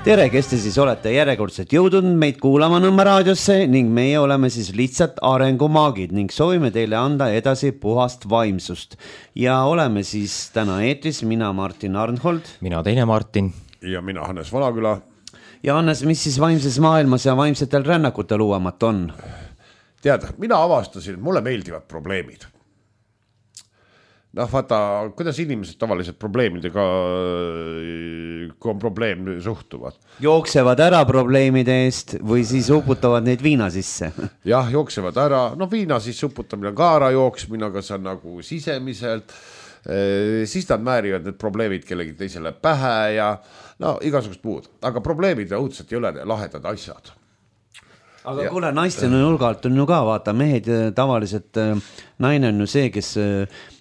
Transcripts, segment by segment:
Tere, kes te siis olete järjekordselt jõudnud meid kuulama Nõmme raadiosse ning meie oleme siis lihtsalt arengumaagid ning soovime teile anda edasi puhast vaimsust. Ja oleme siis täna eetris, mina Martin Arnhold. Mina teine Martin. Ja mina Hannes Valaküla. Ja Hannes, mis siis vaimses maailmas ja vaimsetel rännakutel uuemat on? Tead, mina avastasin, et mulle meeldivad probleemid. Vaata, kuidas inimesed tavaliselt probleemidega, kui on probleem, suhtuvad? Jooksevad ära probleemide eest või siis uputavad neid viina sisse? Jah, jooksevad ära. Viina siis uputamine ka ära jooksmine, aga see on nagu sisemiselt. Siis nad määrivad need probleemid kellegi teisele pähe ja igasugust muud. Aga probleemid õudselt ei ole lahedad asjad. Aga kuule, naiste nurgalt on ju ka, vaata, mehed tavaliselt, naine on ju see, kes...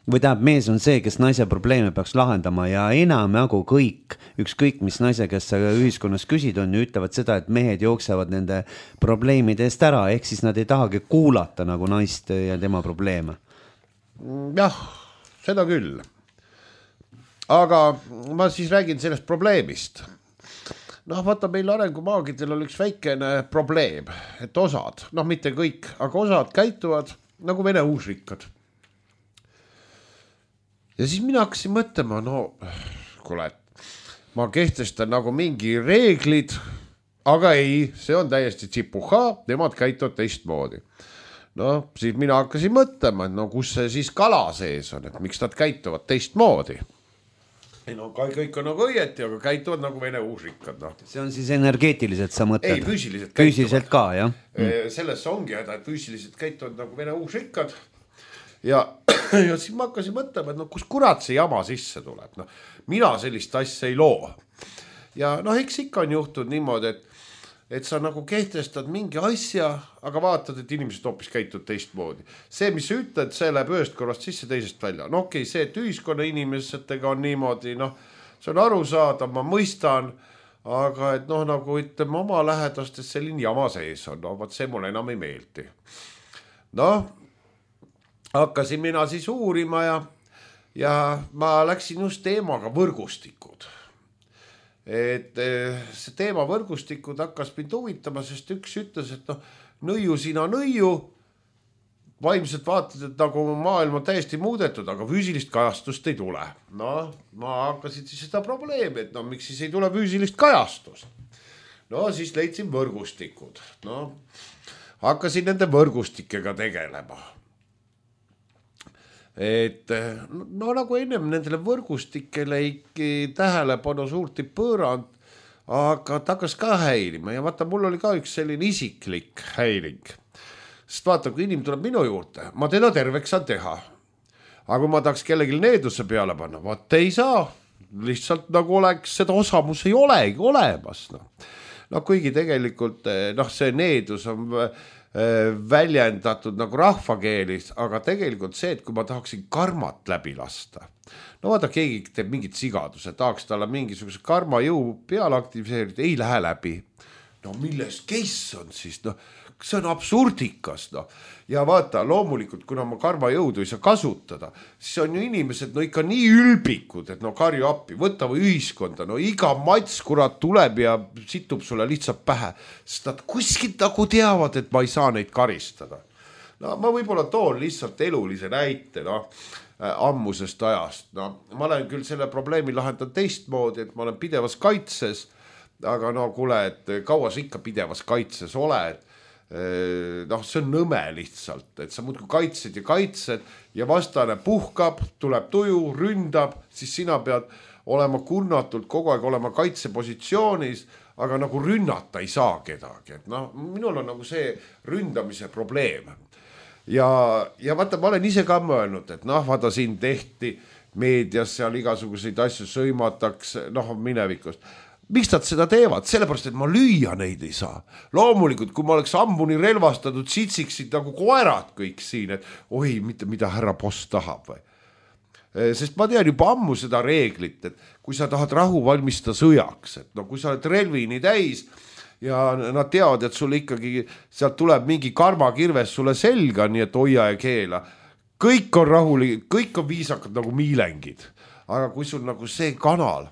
või tähendab, mees on see, kes naise probleeme peaks lahendama ja enam nagu kõik, ükskõik mis naise, kes sa ühiskonnas küsid on ju, ütlevad seda, et mehed jooksevad nende probleemide eest ära, ehk siis nad ei tahagi kuulata nagu naist ja tema probleeme. Jah, seda küll. Aga ma siis räägin sellest probleemist. Vaata, meil arengumaagidel on üks väikene probleem, et osad, mitte kõik, aga osad käituvad nagu vene uusrikkad. Ja siis mina hakkasin mõtlema, kuule, ma kehtestan nagu mingi reeglid, aga ei, see on täiesti tsipuha, nemad käituvad teistmoodi. Siis mina hakkasin mõtlema, et kus see siis kala sees on, et miks nad käituvad teistmoodi. Kõik on nagu õieti, aga käituvad nagu vene uusrikkad. See on siis energeetiliselt sa mõtled? Ei, füüsiliselt käituvad. Füüsiliselt ka, jah? Selles ongi häda, et füüsiliselt käituvad nagu vene uusrikkad. Ja siis ma hakkasin mõtlema, et kus kurat see jama sisse tuleb. Mina sellist asja ei loo. Ja eks ikka on juhtunud niimoodi, et sa nagu kehtestad mingi asja, aga vaatad, et inimesed hoopis käitud teistmoodi. See, mis sa ütled, see läheb ühest korrast sisse teisest välja. Okei, see, et ühiskonna inimesetega on niimoodi, see on arusaadav, ma mõistan, aga et nagu ütleme oma lähedastes selline jama sees on. Vaat see mulle enam ei meeldi. Hakkasin mina siis uurima ja ma läksin just teemaga võrgustikud. Et see teema võrgustikud hakkas mind huvitama, sest üks ütles, et nõiu sina nõiu, vaimselt vaatad, et nagu maailm on täiesti muudetud, aga füüsilist kajastust ei tule. Ma hakkasin siis seda probleemi, et miks siis ei tule füüsilist kajastust. Siis leidsin võrgustikud. Hakkasin nende võrgustikega tegelema. Et nagu ennem nendele võrgustikele ei tähelepanu suurt ei pööranud, aga ta hakkas ka häirima ja vaata, mul oli ka üks selline isiklik häiring. Sest vaata, kui inimene tuleb minu juurde, ma teda terveks saan teha. Aga kui ma tahaks kellelgi needuse peale panna, vaata ei saa. Lihtsalt nagu oleks, seda osamus ei olegi olemas. Kuigi tegelikult see needus on väljendatud nagu rahvakeelis, aga tegelikult see, et kui ma tahaksin karmat läbi lasta. Vaata, keegi teeb mingit sigaduse, tahaks talle mingisuguse karmajõu peale aktiviseerida, ei lähe läbi. Milles case on siis? See on absurdikas. Ja vaata, loomulikult, kuna ma karmajõudu ei saa kasutada, siis on ju inimesed ikka nii ülbikud, et karju appi, võta või ühiskonda, iga mats kurat tuleb ja situb sulle lihtsalt pähe, sest nad kuskilt nagu teavad, et ma ei saa neid karistada. Ma võib-olla toon lihtsalt elulise näite ammusest ajast. Ma olen küll selle probleemi lahendanud teistmoodi, et ma olen pidevas kaitses, aga kuule, et kaua sa ikka pidevas kaitses oled, see on nõme lihtsalt, et sa muudkui kaitsed ja vastane puhkab, tuleb tuju, ründab, siis sina pead olema kurnatult kogu aeg olema kaitsepositsioonis, aga nagu rünnata ei saa kedagi. Et minul on nagu see ründamise probleem. Ja vaata, ma olen ise ka mõelnud, et vaata siin tehti meedias seal igasuguseid asju sõimatakse, minevikust. Miks nad seda teevad? Sellepärast, et ma lüüa neid ei saa. Loomulikult, kui ma oleks ammuni relvastatud, sitsiksid nagu koerad kõik siin, et oi, mida härra boss tahab või. Sest ma tean juba ammu seda reeglit, et kui sa tahad rahu valmistada sõjaks, et kui sa oled relvini täis ja nad teavad, et sul ikkagi sealt tuleb mingi karmakirves sulle selga, nii et hoia ja keela. Kõik on rahulik, kõik on viisakad nagu miilengid. Aga kui sul nagu see kanal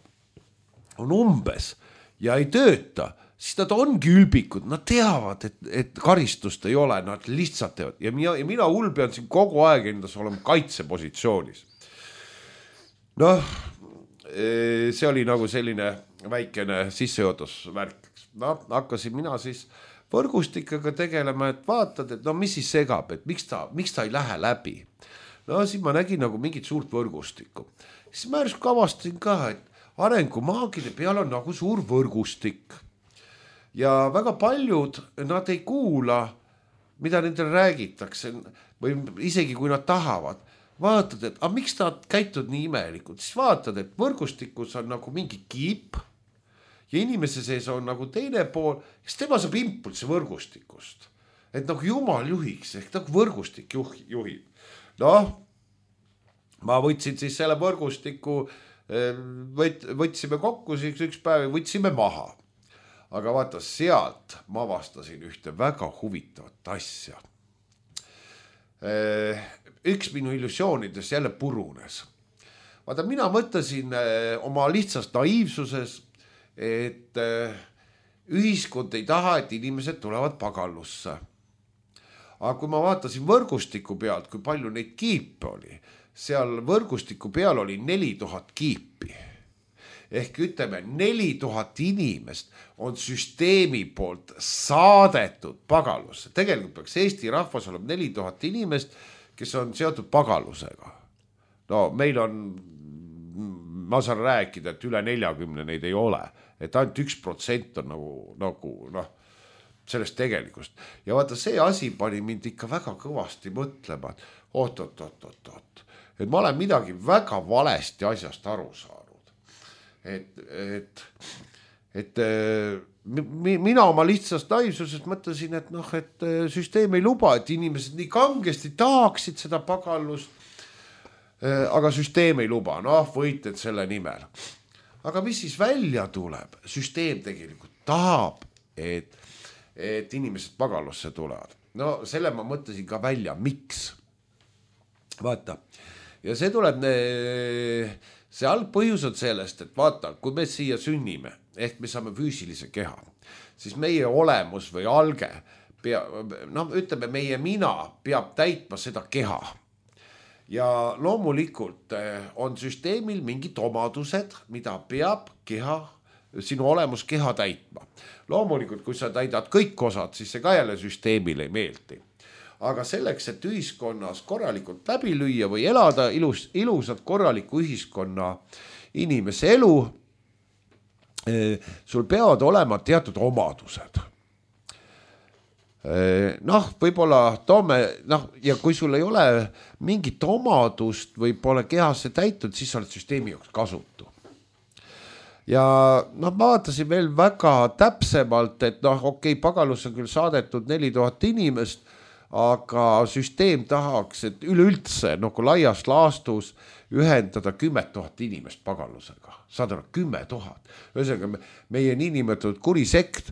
on umbes ja ei tööta, siis nad ongi ülbikud, nad teavad, et karistust ei ole, nad lihtsalt teevad ja mina hull pean siin kogu aeg endas olema kaitsepositsioonis. Noh, see oli nagu selline väikene sissejuhatusvärk. No, hakkasin mina siis võrgustikega tegelema, et vaatad, et no mis siis segab, et miks ta ei lähe läbi. No siis ma nägin nagu mingit suurt võrgustikku. Siis ma järsku avastasin ka, et arengumaagide peal on nagu suur võrgustik. Ja väga paljud, nad ei kuula, mida nendele räägitakse või isegi kui nad tahavad. Vaatad, et miks nad käitud nii imelikult, siis vaatad, et võrgustikus on nagu mingi kiip ja inimese sees on nagu teine pool, kes tema saab impulsi võrgustikust. Et nagu jumal juhiks, ehk nagu võrgustik juhib. Noh, ma võtsin siis selle võrgustiku, võtsime kokku siis üks päev ja võtsime maha. Aga vaata, sealt ma avastasin ühte väga huvitavat asja. Üks minu illusioonides jälle purunes. Vaata, mina mõtlesin oma lihtsast naiivsuses, et ühiskond ei taha, et inimesed tulevad pagallusse. Aga kui ma vaatasin võrgustiku pealt, kui palju neid kiipe oli, seal võrgustiku peal oli 4000 kiipi. Ehk ütleme, 4000 inimest on süsteemi poolt saadetud pagalusse. Tegelikult peaks Eesti rahvas olema 4000 inimest, kes on seotud pagalusega. No meil on, ma saan rääkida, et üle 40 neid ei ole. Et ainult 1% on nagu sellest tegelikust. Ja vaata, see asi pani mind ikka väga kõvasti mõtlema, et et ma olen midagi väga valesti asjast aru saanud. Et mina oma lihtsast naivsusest mõtlesin, et süsteem ei luba, et inimesed nii kangesti tahaksid seda pagallust, aga süsteem ei luba, võitled selle nimel. Aga mis siis välja tuleb? Süsteem tegelikult tahab, et inimesed pagallusse tulevad. No selle ma mõtlesin ka välja, miks? Vaata, ja see tuleb, see algpõhjus on sellest, et vaata, kui me siia sünnime, ehk me saame füüsilise keha, siis meie olemus või alge, ütleme, meie mina peab täitma seda keha. Ja loomulikult on süsteemil mingid omadused, mida peab sinu olemus keha täitma. Loomulikult, kui sa täidad kõik osad, siis see ka jälle süsteemile ei meeldi. Aga selleks, et ühiskonnas korralikult läbi lüüa või elada ilusat korraliku ühiskonna inimese elu, sul peavad olema teatud omadused. Võib-olla toome, ja kui sul ei ole mingit omadust või pole kehasse täitud, siis sa oled süsteemi jaoks kasutu. Ja ma vaatasin veel väga täpsemalt, et pagalus on küll saadetud 4000 inimest, aga süsteem tahaks, et üleüldse nagu laias laastus ühendada 10 000 inimest pagallusega. Saad aru, 10 000. Ühesõnaga, meie niinimetatud kurisekt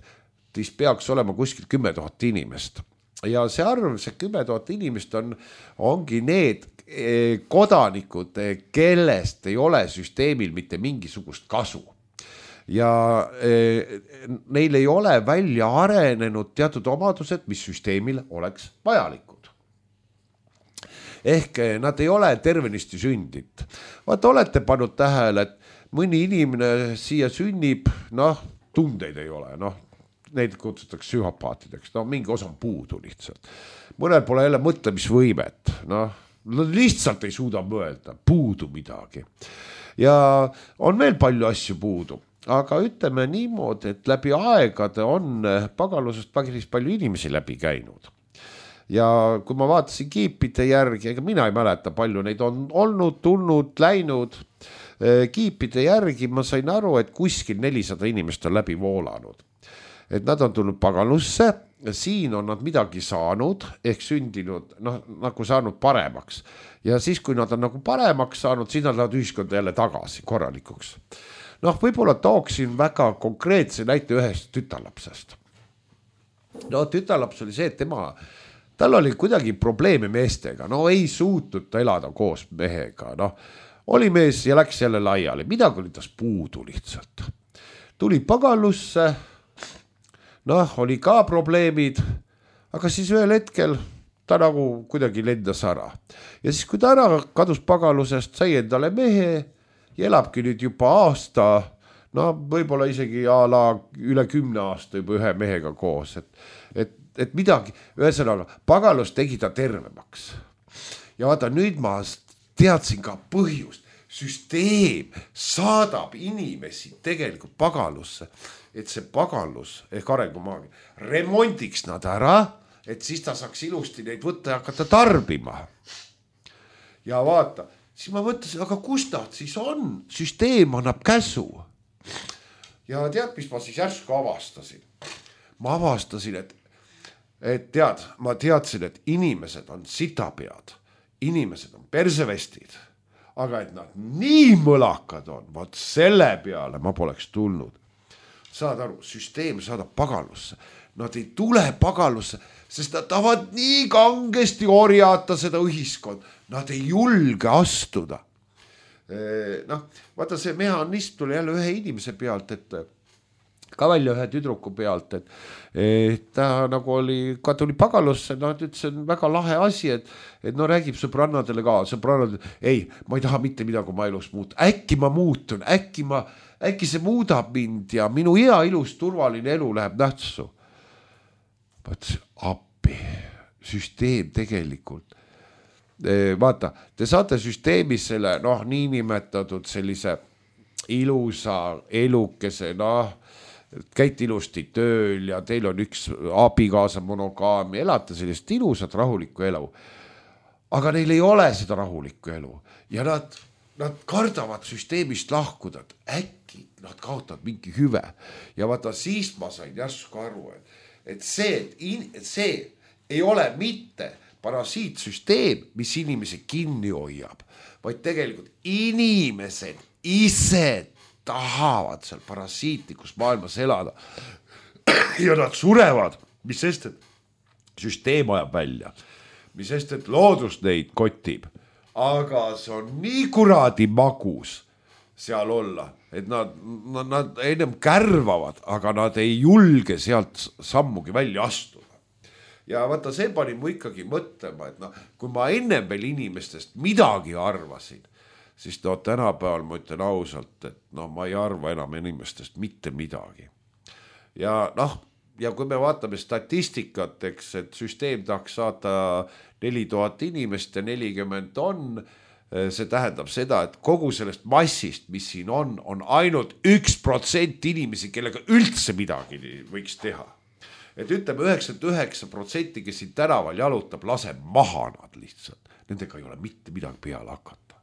peaks olema kuskil 10 000 inimest. Ja see arv, see 10 000 inimest ongi need kodanikud, kellest ei ole süsteemil mitte mingisugust kasu. Ja neil ei ole välja arenenud teatud omadused, mis süsteemil oleks vajalikud. Ehk nad ei ole tervenisti sündid. Vaata, olete pannud tähele, et mõni inimene siia sünnib, tundeid ei ole, neid kutsutakse psühhopaatideks, mingi osa on puudu lihtsalt. Mõnel pole jälle mõtlemisvõimet, lihtsalt ei suuda mõelda, puudu midagi. Ja on veel palju asju puudu. Aga ütleme niimoodi, et läbi aegade on pagalusest päris palju inimesi läbi käinud. Ja kui ma vaatasin kiipide järgi, ega mina ei mäleta palju, neid on olnud, tulnud, läinud kiipide järgi, ma sain aru, et kuskil 400 inimest on läbi voolanud. Et nad on tulnud pagalusse, siin on nad midagi saanud, ehk sündinud, nagu saanud paremaks. Ja siis, kui nad on nagu paremaks saanud, siis nad lähevad ühiskonda jälle tagasi korralikuks. Võib-olla tooksin väga konkreetse näite ühest tütarlapsest. Tütarlaps oli see, et tal oli kuidagi probleeme meestega, ei suutnud ta elada koos mehega, oli mees ja läks jälle laiali, midagi oli tas puudu lihtsalt. tuli pagalusse, noh, oli ka probleemid, aga siis ühel hetkel ta nagu kuidagi lendas ära. Ja siis, kui ta ära kadus pagalusest, sai endale mehe ja elabki nüüd juba aasta, no võib-olla isegi üle 10 aasta juba ühe mehega koos, et midagi, ühesõnaga, pagalus tegi ta tervemaks. Ja vaata, nüüd ma teadsin ka põhjust. Süsteem saadab inimesi tegelikult pagalusse, et see pagalus ehk arengumaagia remondiks nad ära, et siis ta saaks ilusti neid võtta ja hakata tarbima. Ja vaata, siis ma mõtlesin, aga kus nad siis on? Süsteem annab käsu. Ja tead, mis ma siis järsku avastasin? Ma avastasin, et tead, ma teadsin, et inimesed on sitapead, inimesed on persevestid, aga et nad nii mõlakad on, vaat selle peale ma poleks tulnud. Saad aru, süsteem saadab pagalusse. Nad ei tule pagalusse, sest nad tahavad nii kangesti orjata seda ühiskond. Nad ei julge astuda. Noh, vaata see mehhanism tuli jälle ühe inimese pealt, et ka välja ühe tüdruku pealt, et ta nagu ka tuli pagalusse, no nüüd see on väga lahe asi, et no räägib sõbrannadele ka, ei, ma ei taha mitte midagi oma elus muuta, äkki ma muutun, äkki see muudab mind ja minu hea ilus turvaline elu läheb nähtsu. Appi, süsteem tegelikult, vaata, te saate süsteemis selle, noh, niinimetatud sellise ilusa elukese, noh, käite ilusti tööl ja teil on üks abikaasa monogaami, elate sellist ilusat rahulikku elu. Aga neil ei ole seda rahulikku elu ja nad kardavad süsteemist lahkuda, äkki nad kaotavad mingi hüve. Ja vaata, siis ma sain järsku aru, et see ei ole mitte parasiitsüsteem, mis inimesi kinni hoiab, vaid tegelikult inimesed ise tahavad seal parasiitlikus maailmas elada ja nad surevad, mis sest, et süsteem ajab välja, mis sest, et loodus neid kotib, aga see on nii kuradi magus seal olla, et nad ennem kärvavad, aga nad ei julge sealt sammugi välja astuda. Ja vaata, see pani mu ikkagi mõtlema, et kui ma ennem veel inimestest midagi arvasin, siis tänapäeval ma ütlen ausalt, et ma ei arva enam inimestest mitte midagi. Ja ja kui me vaatame statistikat, eks, et süsteem tahaks saata 4000 inimest ja 40 on, see tähendab seda, et kogu sellest massist, mis siin on ainult 1% inimesi, kellega üldse midagi võiks teha. Et ütleme 99%, kes siin tänaval jalutab, lase maha nad lihtsalt. Nendega ei ole mitte midagi peale hakata.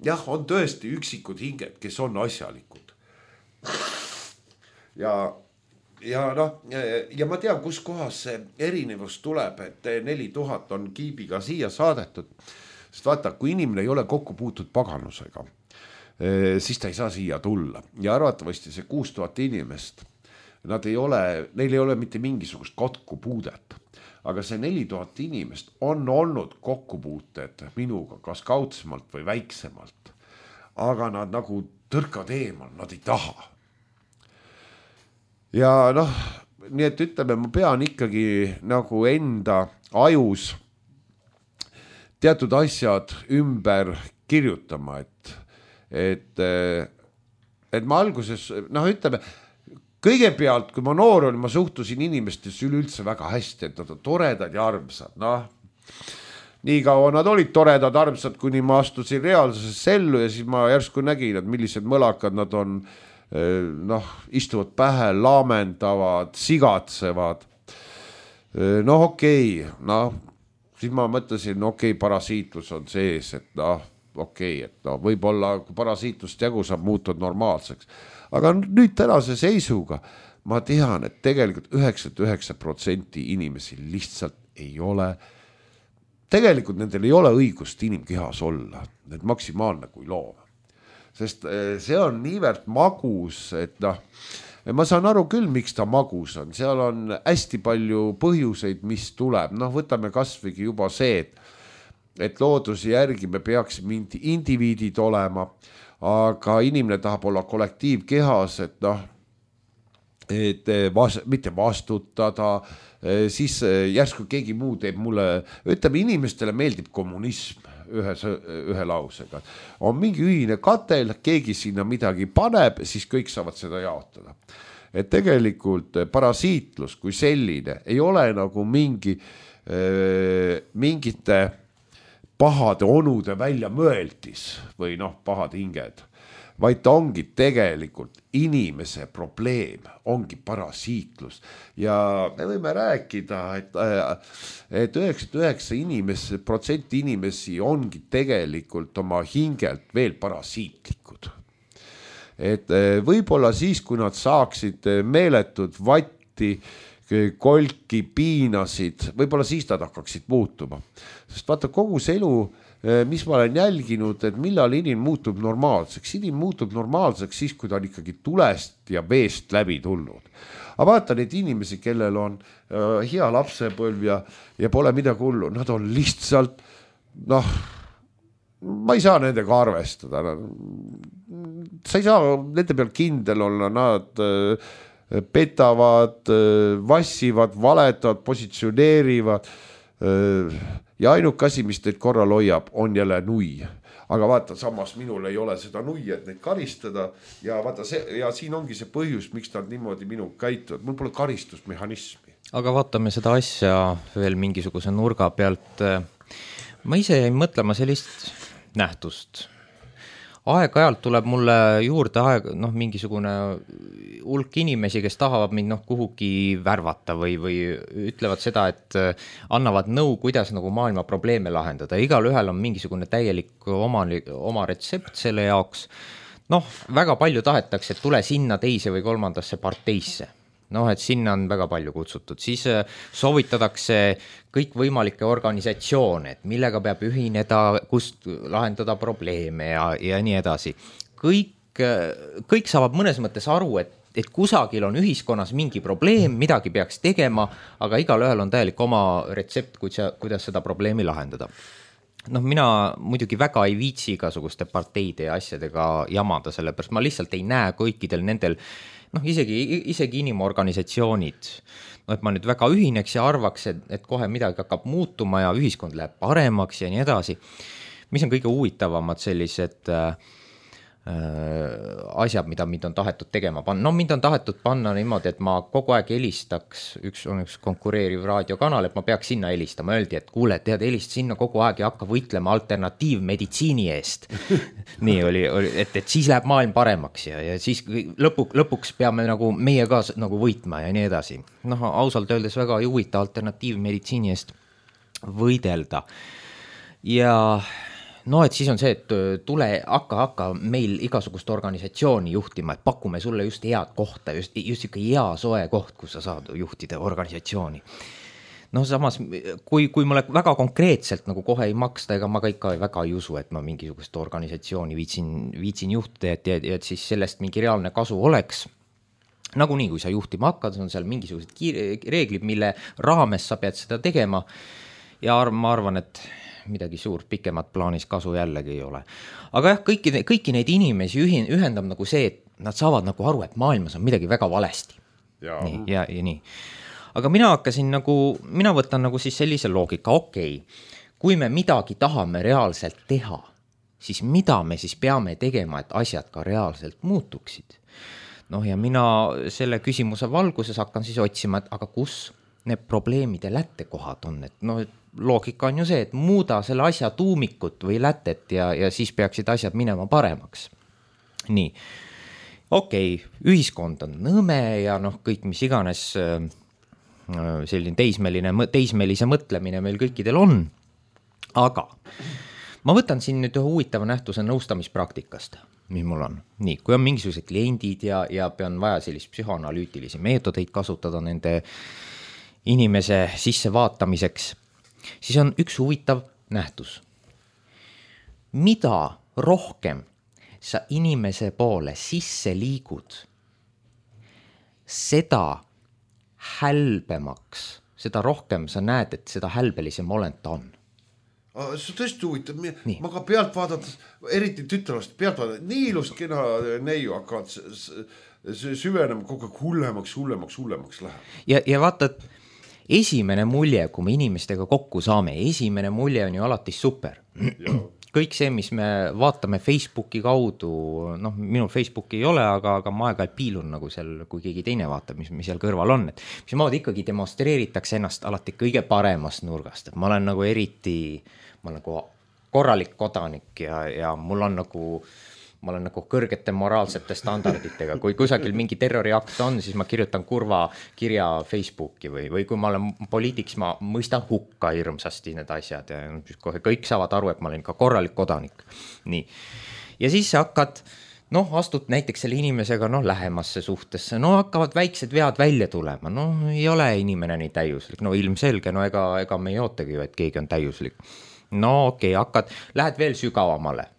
Jah, on tõesti üksikud hinged, kes on asjalikud. Ja ma tean, kus kohas see erinevus tuleb, et 4000 on kiibiga siia saadetud. Sest vaata, kui inimene ei ole kokku puutud paganusega, siis ta ei saa siia tulla. Ja arvatavasti see 6000 inimest, neil ei ole mitte mingisugust kokkupuudet. Aga see 4000 inimest on olnud kokkupuuted minuga, kas kaudsemalt või väiksemalt. Aga nad nagu tõrkad eemal, nad ei taha. Ja nii et ütleme, ma pean ikkagi nagu enda ajus teatud asjad ümber kirjutama, et ma alguses, ütleme, kõigepealt, kui ma noor olin, ma suhtusin inimestesse üleüldse väga hästi, et nad on toredad ja armsad. Nii kaua nad olid toredad, armsad, kuni ma astusin reaalsusesse ellu ja siis ma järsku nägin, et millised mõlakad nad on, istuvad pähe, laamendavad, sigatsevad. Okei, siis ma mõtlesin, parasiitlus on sees, et võib-olla kui parasiitlust jagu saab muutud normaalseks. Aga nüüd tänase seisuga ma tean, et tegelikult 99% inimesi lihtsalt ei ole, tegelikult nendel ei ole õigust inimkehas olla, need maksimaalne kui loom. Sest see on niivõrd magus, et ma saan aru küll, miks ta magus on, seal on hästi palju põhjuseid, mis tuleb, võtame kasvõigi juba see, et looduse järgi me peaksime indiviidid olema, aga inimene tahab olla kollektiivkehas, et et mitte vastutada, siis järsku keegi muu teeb mulle, ütleme, inimestele meeldib kommunism ühe lausega. On mingi ühine katel, keegi sinna midagi paneb, siis kõik saavad seda jaotada. Et tegelikult parasiitlus kui selline ei ole nagu mingite pahade onude välja mõeldis või pahad hinged, vaid ta ongi tegelikult inimese probleem, ongi parasiitlus. Ja me võime rääkida, et 99% inimesi ongi tegelikult oma hingelt veel parasiitlikud. Et võib-olla siis, kui nad saaksid meeletud vatti, kolki, piinasid, võib-olla siis nad hakkaksid muutuma. Sest vaata kogu see elu, mis ma olen jälginud, et millal inimene muutub normaalseks. Inimene muutub normaalseks siis, kui ta on ikkagi tulest ja veest läbi tulnud. Aga vaata neid inimesi, kellel on hea lapsepõlv ja pole midagi hullu. Nad on lihtsalt, ma ei saa nendega arvestada. Sa ei saa nende peal kindel olla, nad petavad, vassivad, valetavad, positsioneerivad ja ainuke asi, mis teid korral hoiab, on jälle nui. Aga vaata, samas minul ei ole seda nui, et neid karistada ja vaata ja siin ongi see põhjus, miks nad niimoodi minu käituvad. Mul pole karistusmehhanismi. Aga vaatame seda asja veel mingisuguse nurga pealt. Ma ise jäin mõtlema sellist nähtust. Aeg-ajalt tuleb mulle juurde mingisugune hulk inimesi, kes tahavad mind kuhugi värvata või ütlevad seda, et annavad nõu, kuidas nagu maailma probleeme lahendada. Igal ühel on mingisugune täielik oma retsept selle jaoks. Väga palju tahetakse, et tule sinna teise või kolmandasse parteisse. Et sinna on väga palju kutsutud. Siis soovitatakse kõik võimalikke organisatsioone, et millega peab ühineda, kust lahendada probleeme ja nii edasi. Kõik saavad mõnes mõttes aru, et kusagil on ühiskonnas mingi probleem, midagi peaks tegema, aga igal ühel on täielik oma retsept, kuidas seda probleemi lahendada. Mina muidugi väga ei viitsi igasuguste parteide ja asjadega jamada, sellepärast ma lihtsalt ei näe kõikidel nendel isegi inimorganisatsioonid, et ma nüüd väga ühineks ja arvaks, et kohe midagi hakkab muutuma ja ühiskond läheb paremaks ja nii edasi. Mis on kõige huvitavamad sellised asjad, mida mind on tahetud tegema panna. Mind on tahetud panna niimoodi, et ma kogu aeg helistaks, üks konkureeriv raadiokanal, et ma peaks sinna helistama. Öeldi, et kuule, tead, helist sinna kogu aeg ja hakka võitlema alternatiivmeditsiini eest. Nii oli, et siis läheb maailm paremaks ja siis lõpuks peame nagu meie ka nagu võitma ja nii edasi. Ausalt öeldes väga ei huvita alternatiivmeditsiini eest võidelda. Ja et siis on see, et tule hakka meil igasugust organisatsiooni juhtima, et pakume sulle just head kohta, just ikka hea soe koht, kus sa saad juhtida organisatsiooni. Samas, kui mulle väga konkreetselt nagu kohe ei maksta, ega ma ka väga ei usu, et ma mingisugust organisatsiooni viitsin juhtida, et siis sellest mingi reaalne kasu oleks. Nagunii, kui sa juhtima hakkad, on seal mingisugused reeglid, mille raames sa pead seda tegema ja ma arvan, et midagi suurt pikemat plaanis kasu jällegi ei ole. Aga jah, kõiki neid inimesi ühendab nagu see, et nad saavad nagu aru, et maailmas on midagi väga valesti. Nii, ja nii. Aga mina võtan nagu siis sellise loogika, kui me midagi tahame reaalselt teha, siis mida me siis peame tegema, et asjad ka reaalselt muutuksid? Ja mina selle küsimuse valguses hakkan siis otsima, et aga kus need probleemide lättekohad on, et loogika on ju see, et muuda selle asja tuumikut või lätet ja siis peaksid asjad minema paremaks. Nii, ühiskond on nõme ja kõik mis iganes selline teismelise mõtlemine meil kõikidel on, aga ma võtan siin nüüd ühe huvitava nähtuse nõustamispraktikast, mis mul on. Nii, kui on mingisugused kliendid ja pean vaja sellist psühhoanalüütilisi meetodeid kasutada nende inimese sisse vaatamiseks, siis on üks huvitav nähtus. Mida rohkem sa inimese poole sisse liigud, seda hälbemaks, seda rohkem sa näed, et seda hälbelisem olend ta on. See tõesti huvitav, ma ka pealt vaadates, eriti tütrelast pealt vaadates, nii ilus kena neiu hakkavad süvenema kogu aeg hullemaks läheb. Ja vaata, esimene mulje, kui me inimestega kokku saame, esimene mulje on ju alati super. Kõik see, mis me vaatame Facebooki kaudu, noh, minul Facebooki ei ole, aga ma aeg-ajalt piilun nagu seal, kui keegi teine vaatab, mis seal kõrval on, et mis moodi ikkagi demonstreeritakse ennast alati kõige paremast nurgast, et ma olen nagu korralik kodanik ja mul on ma olen nagu kõrgete moraalsete standarditega, kui kusagil mingi terroriakt on, siis ma kirjutan kurva kirja Facebooki või kui ma olen poliitiks, ma mõistan hukka hirmsasti need asjad ja kohe kõik saavad aru, et ma olen ikka korralik kodanik. Nii. Ja siis hakkad, astud näiteks selle inimesega lähemasse suhtesse, hakkavad väiksed vead välja tulema, ei ole inimene nii täiuslik, ilmselge, ega me ei ootagi ju, et keegi on täiuslik. Okei, lähed veel sügavamale.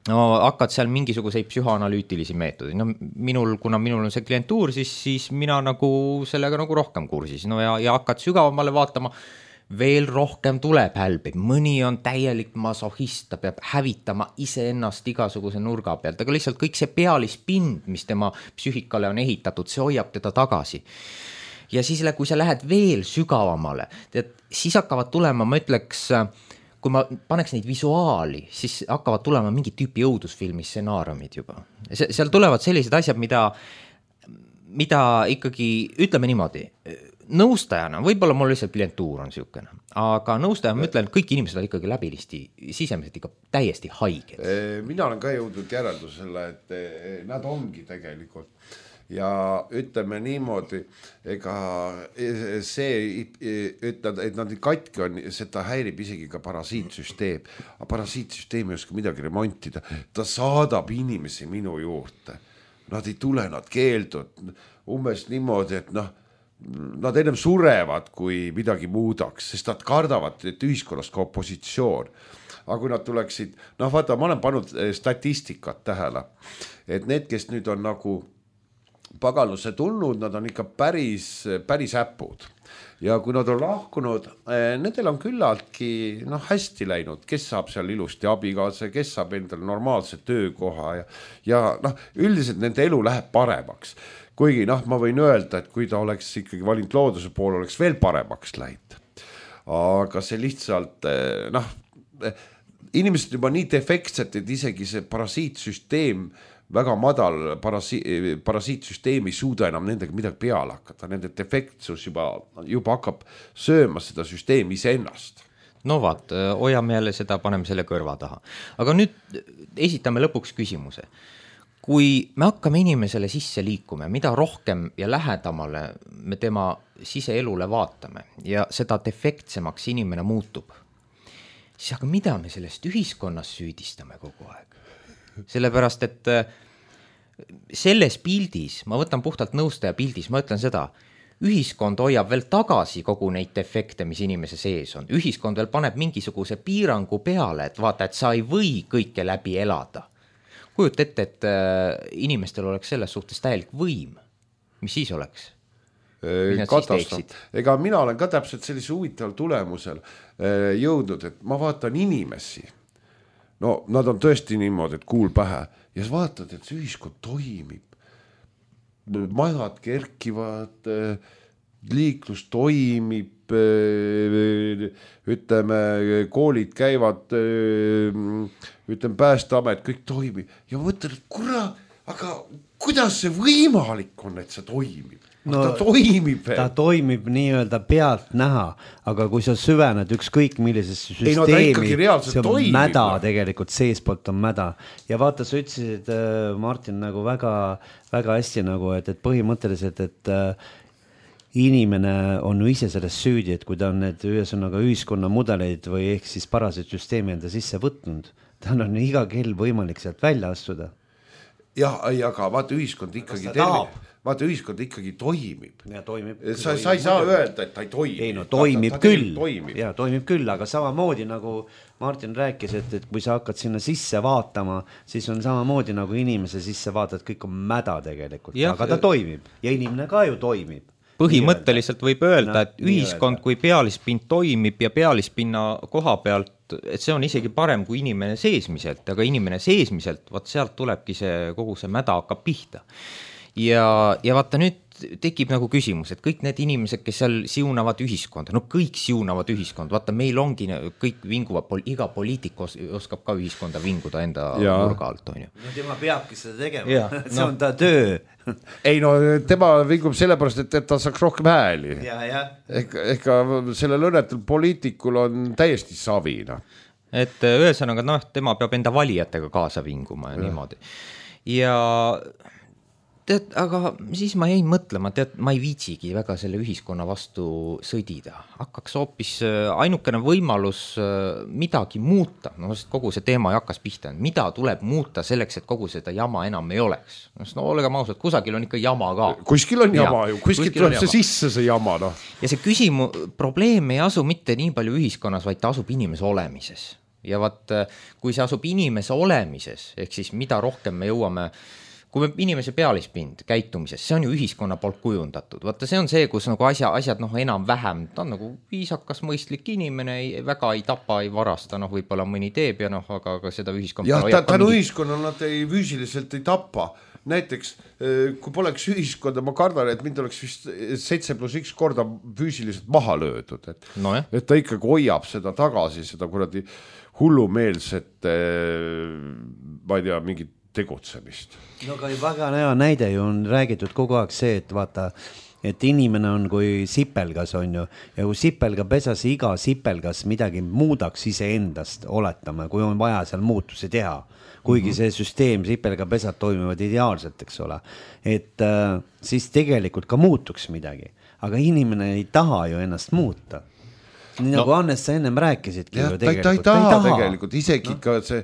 Hakkad seal mingisuguseid psühhoanalüütilisi meetodeid. Kuna minul on see klientuur, siis mina nagu sellega nagu rohkem kursis. Ja hakkad sügavamale vaatama, veel rohkem tuleb hälbib. Mõni on täielik masohist, ta peab hävitama iseennast igasuguse nurga pealt, aga lihtsalt kõik see pealispind, mis tema psüühikale on ehitatud, see hoiab teda tagasi. Ja siis, kui sa lähed veel sügavamale, siis hakkavad tulema, ma ütleks, kui ma paneks neid visuaali, siis hakkavad tulema mingi tüüpi õudusfilmi stsenaariumid juba. Seal tulevad sellised asjad, mida ikkagi, ütleme niimoodi, nõustajana, võib-olla mul lihtsalt klientuur on siukene, aga nõustajana ma ütlen, et kõik inimesed on ikkagi läbilisti sisemiselt ikka täiesti haiged. Mina olen ka jõudnud järeldusele, et nad ongi tegelikult. Ja ütleme niimoodi, ega see ütled, et nad katki on, seda häirib isegi ka parasiitsüsteem. Aga parasiitsüsteem ei oska midagi remontida. Ta saadab inimesi minu juurde. Nad ei tule, nad keeldud. Umbes niimoodi, et nad ennem surevad, kui midagi muudaks, sest nad kardavad, et ühiskonnast ka opositsioon. Aga kui nad tuleksid, vaata, ma olen pannud statistikat tähele, et need, kes nüüd on nagu pagalusse tulnud, nad on ikka päris äpud. Ja kui nad on lahkunud, nendel on küllaltki hästi läinud, kes saab seal ilusti abikaasa, kes saab endale normaalse töökoha ja üldiselt nende elu läheb paremaks. Kuigi ma võin öelda, et kui ta oleks ikkagi valinud looduse poole, oleks veel paremaks läinud. Aga see lihtsalt, inimesed juba nii defektsed, et isegi see parasiitsüsteem väga madal parasiitsüsteem ei suuda enam nendega midagi peale hakata. Nende defektsus juba hakkab sööma seda süsteemi iseennast. Vaat, hoiame jälle seda, paneme selle kõrva taha. Aga nüüd esitame lõpuks küsimuse. Kui me hakkame inimesele sisse liikuma, mida rohkem ja lähedamale me tema siseelule vaatame ja seda defektsemaks inimene muutub, siis aga mida me sellest ühiskonnas süüdistame kogu aeg? Sellepärast, et selles pildis, ma võtan puhtalt nõustaja pildis, ma ütlen seda, ühiskond hoiab veel tagasi kogu neid defekte, mis inimese sees on. Ühiskond veel paneb mingisuguse piirangu peale, et vaata, et sa ei või kõike läbi elada. Kujut ette, et inimestel oleks selles suhtes täielik võim. Mis siis oleks? Ega mina olen ka täpselt sellise huvitaval tulemusel jõudnud, et ma vaatan inimesi. Nad on tõesti niimoodi, et kuul pähe ja sa vaatad, et see ühiskond toimib. Majad kerkivad, liiklus toimib, ütleme, koolid käivad, ütleme, Päästeamet, kõik toimib. Ja ma mõtlen, et kurat, aga kuidas see võimalik on, et see toimib? Ta toimib. Ta toimib nii-öelda pealt näha, aga kui sa süvened ükskõik millisesse süsteemi, see on toimib. Mäda tegelikult, seespoolt on mäda. Ja vaata, sa ütlesid, Martin, nagu väga, väga hästi, nagu, et põhimõtteliselt, et inimene on ju ise selles süüdi, et kui ta on need ühiskonna mudeleid või ehk siis parasitsüsteemi enda sisse võtnud, tal on iga kell võimalik sealt välja astuda. Ja, aga vaata, ühiskond ikkagi toimib. Ja toimib. Sa ei saa öelda, et ta ei toimib. Ei, toimib küll. Ja toimib küll, aga samamoodi nagu Martin rääkis, et kui sa hakkad sinna sisse vaatama, siis on samamoodi nagu inimese sisse vaatad, kõik on mäda tegelikult, aga ta toimib ja inimene ka ju toimib. Põhimõtteliselt võib öelda, et ühiskond, kui pealispind toimib ja pealispinna koha pealt, et see on isegi parem kui inimene seesmiselt, aga inimene seesmiselt, vaat sealt tulebki see, kogu see mäda hakkab pihta. ja vaata nüüd tekib nagu küsimus, et kõik need inimesed, kes seal siunavad ühiskonda, no kõik siunavad ühiskonda, vaata meil ongi kõik vinguvad, iga poliitik oskab ka ühiskonda vinguda enda nurga alt, on ju. No tema peabki seda tegema, see on ta töö. Ei no tema vingub sellepärast, et ta saaks rohkem hääli. Ega sellel õnnetul poliitikul on täiesti savina. Et ühesõnaga, tema peab enda valijatega kaasa vinguma ja niimoodi. Ja tead, aga siis ma jäin mõtlema, ma ei viitsigi väga selle ühiskonna vastu sõdida. Hakkaks hoopis ainukene võimalus midagi muuta, sest kogu see teema hakkas pihta, mida tuleb muuta selleks, et kogu seda jama enam ei oleks. No olgem ausad, kusagil on ikka jama ka. Kuskil on jama ju, kuskil tuleb see sisse see jama. No. Ja see probleem ei asu mitte nii palju ühiskonnas, vaid ta asub inimese olemises. Ja vaat, kui see asub inimese olemises, ehk siis mida rohkem me jõuame kui inimese pealispind käitumises, see on ju ühiskonna poolt kujundatud. Vaata, see on see, kus nagu asjad enam vähem, ta on nagu viisakas, mõistlik inimene, väga ei tapa, ei varasta, võib-olla mõni teeb ja aga seda ühiskonna... Ja tänu ühiskonna nad füüsiliselt ei tapa. Näiteks, kui poleks ühiskonda, ma kardan, et mind oleks vist 7+1 korda füüsiliselt maha löödud. Et ta ikkagi hoiab seda tagasi, seda kuradi hullumeelset, ma ei tea, mingit tegutsemist. No aga väga hea näide ju on räägitud kogu aeg see, et vaata, et inimene on kui sipelgas on ju, ja kui sipelga pesas iga sipelgas midagi muudaks iseendast, oletame, kui on vaja seal muutusi teha, kuigi see süsteem, sipelga pesad toimivad ideaalselt, eks ole, et siis tegelikult ka muutuks midagi, aga inimene ei taha ju ennast muuta. Nii nagu Hannes, sa ennem rääkisidki ju tegelikult. Ta ei taha tegelikult, isegi ka see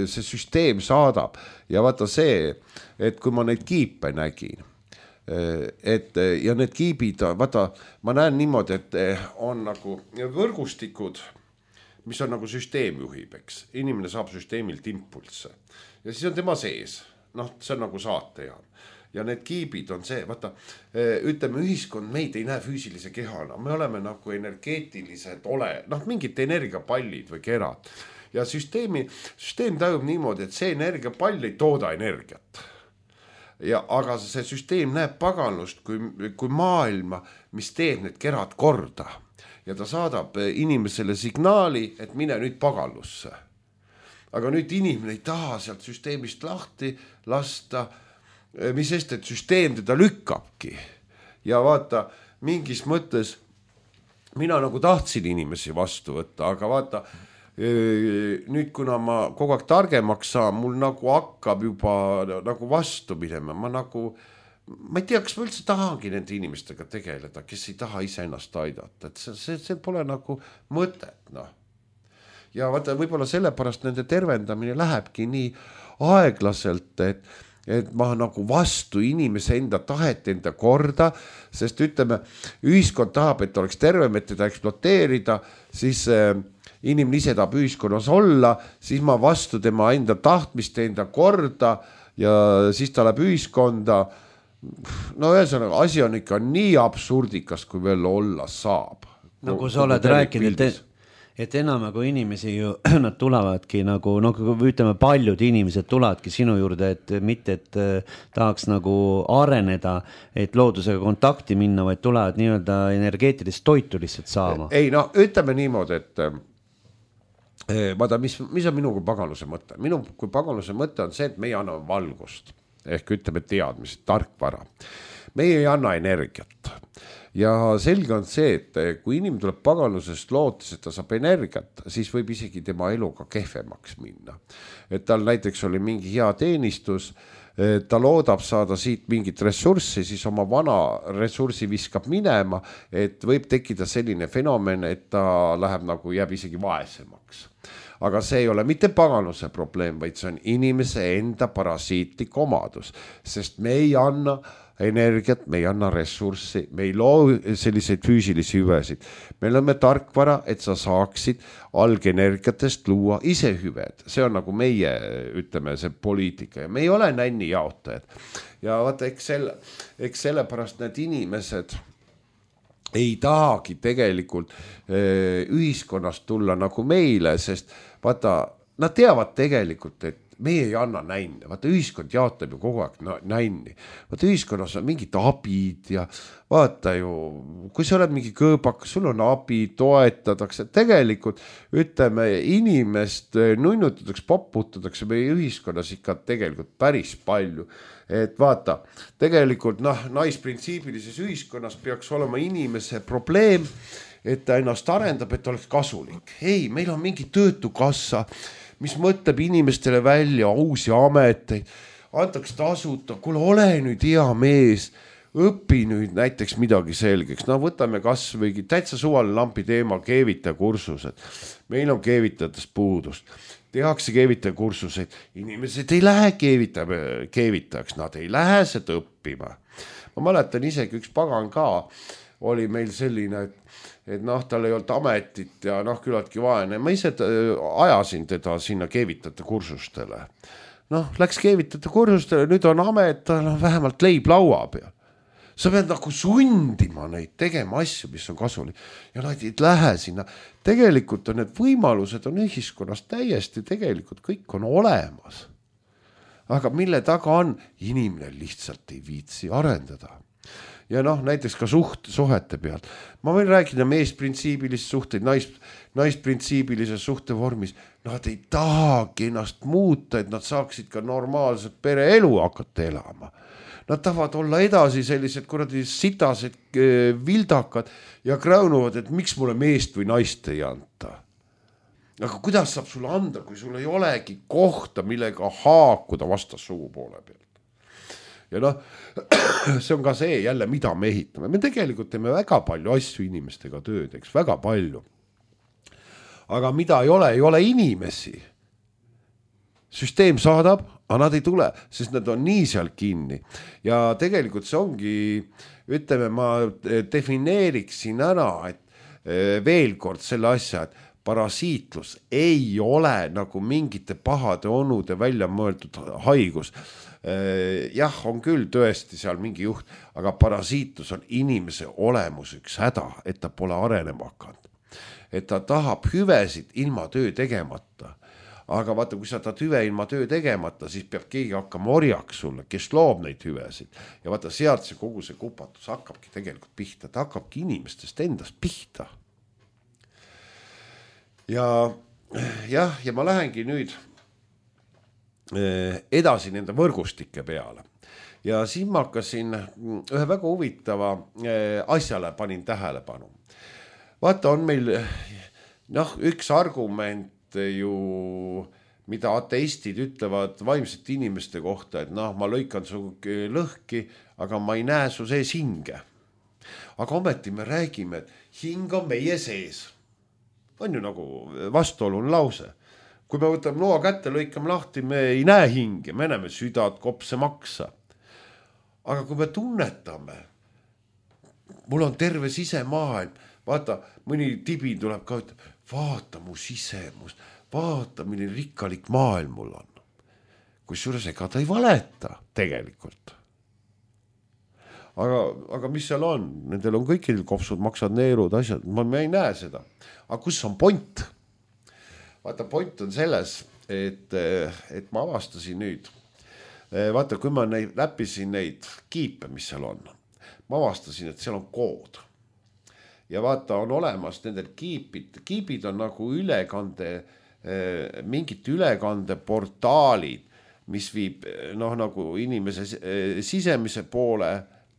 süsteem saadab. Ja vaata see, et kui ma neid kiipe nägin, ja need kiibid, vaata, ma näen niimoodi, et on nagu võrgustikud, mis on nagu süsteem juhib, eks. Inimene saab süsteemilt impulsse. Ja siis on tema sees. See on nagu saatejaam. Ja need kiibid on see, vaata, ütleme ühiskond, meid ei näe füüsilise kehana, me oleme nagu energeetilised mingid energiapallid või kerad. Ja süsteem tajub niimoodi, et see energiapall ei tooda energiat. Aga see süsteem näeb paganlust kui maailma, mis teeb need kerad korda. Ja ta saadab inimesele signaali, et mine nüüd paganlusse. Aga nüüd inimene ei taha sealt süsteemist lahti lasta, mis sest, et süsteem teda lükkabki. Ja vaata, mingis mõttes mina nagu tahtsin inimesi vastu võtta, aga vaata, nüüd kuna ma kogu aeg targemaks saan, mul nagu hakkab juba nagu vastu minema. Ma ei tea, kas ma üldse tahangi nende inimestega tegeleda, kes ei taha ise ennast aidata. Et see pole nagu mõtet. Ja vaata, võib-olla sellepärast nende tervendamine lähebki nii aeglaselt, et ma nagu vastu inimese enda tahet, enda korda, sest ütleme, ühiskond tahab, et oleks tervem, et teda ekspluateerida, siis inimene ise tahab ühiskonnas olla, siis ma vastu tema enda tahtmist, enda korda ja siis ta läheb ühiskonda. Ühesõnaga, asi on ikka nii absurdikas, kui veel olla saab. Nagu sa oled rääkinud, et enam kui inimesi ju, nad tulevadki nagu, ütleme, paljud inimesed tulevadki sinu juurde, et mitte, et tahaks nagu areneda, et loodusega kontakti minna, vaid tulevad nii-öelda energeetilist toitu lihtsalt saama. Ei, ütleme niimoodi, et vaata, mis on minu kui paganluse mõte? Minu kui paganluse mõte on see, et meie anname valgust, ehk ütleme teadmised, tarkvara. Meie ei anna energiat. Ja selge on see, et kui inimene tuleb paganlusest lootes, et ta saab energiat, siis võib isegi tema eluga kehvemaks minna. Et tal näiteks oli mingi hea teenistus, ta loodab saada siit mingit ressurssi, siis oma vana ressurssi viskab minema, et võib tekkida selline fenomen, et ta läheb nagu jääb isegi vaesemaks. Aga see ei ole mitte paganluse probleem, vaid see on inimese enda parasiitlik omadus, sest me ei anna energiat, me ei anna ressurssi, me ei loo selliseid füüsilisi hüvesid. Me oleme tarkvara, et sa saaksid algenergiatest luua ise hüved. See on nagu meie, ütleme, see poliitika ja me ei ole nänni jaotajad. Ja vaata, eks sellepärast need inimesed ei tahagi tegelikult ühiskonnast tulla nagu meile, sest vaata, nad teavad tegelikult, et meie ei anna nänne, vaata ühiskond jaotab ju kogu aeg nänni, vaata ühiskonnas on mingid abid ja vaata ju, kui sa oled mingi kõõbakas, sul on abi, toetatakse, tegelikult ütleme, inimest nunnutatakse, poputatakse meie ühiskonnas ikka tegelikult päris palju, et vaata, tegelikult naisprintsiibilises ühiskonnas peaks olema inimese probleem, et ta ennast arendab, et oleks kasulik. Ei, meil on mingi töötukassa, mis mõtleb inimestele välja uusi ameteid, antaks tasuta, kuule, ole nüüd hea mees, õpi nüüd näiteks midagi selgeks. Võtame kas või täitsa suvaline lampi teema, keevitaja kursused. Meil on keevitajatest puudust. Tehakse keevitaja kursuseid. Inimesed ei lähe keevitajaks, nad ei lähe seda õppima. Ma mäletan isegi üks pagan ka, oli meil selline, et tal ei olnud ametit ja küllaltki vaene. Ma ise ajasin teda sinna keevitajate kursustele. Läks keevitajate kursustele, nüüd on amet, vähemalt leib laua peal. Sa pead sundima neid tegema asju, mis on kasulik. Ja nad ei lähe sinna. Tegelikult on need võimalused on ühiskonnas täiesti tegelikult kõik on olemas. Aga mille taga on? Inimene lihtsalt ei viitsi arendada. Ja näiteks ka suhete pealt. Ma võin rääkida meesprintsiibilist suhteid, naisprintsiibilises suhtevormis. Nad ei tahagi ennast muuta, et nad saaksid ka normaalset pereelu hakata elama. Nad tahavad olla edasi sellised kuradi sitased vildakad ja kräunuvad, et miks mulle meest või naist ei anta. Aga kuidas saab sulle anda, kui sul ei olegi kohta, millega haakuda vastas sugupoole pealt? Ja see on ka see jälle, mida me ehitame. Me tegelikult teeme väga palju asju inimestega tööd, eks, väga palju. Aga mida ei ole inimesi. Süsteem saadab, aga nad ei tule, sest nad on nii seal kinni. Ja tegelikult see ongi, ütleme, ma defineeriksin ära, et veel kord selle asja, et parasiitlus ei ole nagu mingite pahade onude välja mõeldud haigus. Jah, on küll tõesti seal mingi juht, aga parasiitlus on inimese olemus üks häda, et ta pole arenema hakanud. Et ta tahab hüvesid ilma töö tegemata. Aga vaata, kui sa tahad hüve ilma töö tegemata, siis peab keegi hakkama orjaks sulle, kes loob neid hüvesid. Ja vaata, sealt see kogu see kupatus hakkabki tegelikult pihta, ta hakkabki inimestest endast pihta. Ja ma lähengi nüüd edasi nende võrgustike peale. Ja siin ma hakkasin ühe väga huvitava asjale panin tähelepanu. Vaata, on meil üks argument ju, mida ateistid ütlevad vaimsete inimeste kohta, et ma lõikan su lõhki, aga ma ei näe su sees hinge. Aga ometi me räägime, et hing on meie sees. On ju nagu vastuolune lause. Kui me võtame noa kätte, lõikame lahti, me ei näe hinge, me näeme südad, kopse, maksa. Aga kui me tunnetame, mul on terve sisemaailm, vaata, mõni tibi tuleb ka, vaata mu sisemust, vaata, milline rikkalik maailm mul on. Kusjuures ega ta ei valeta tegelikult. Aga mis seal on? Nendel on kõikidel kopsud, maksad, neerud, asjad, ma ei näe seda. Aga kus on point? Vaata, point on selles, et ma avastasin nüüd. Vaata, kui ma läppisin neid kiipe, mis seal on, ma avastasin, et seal on kood. Ja vaata, on olemas nendel kiibid on nagu mingid ülekandeportaalid, mis viib nagu inimese sisemise poole,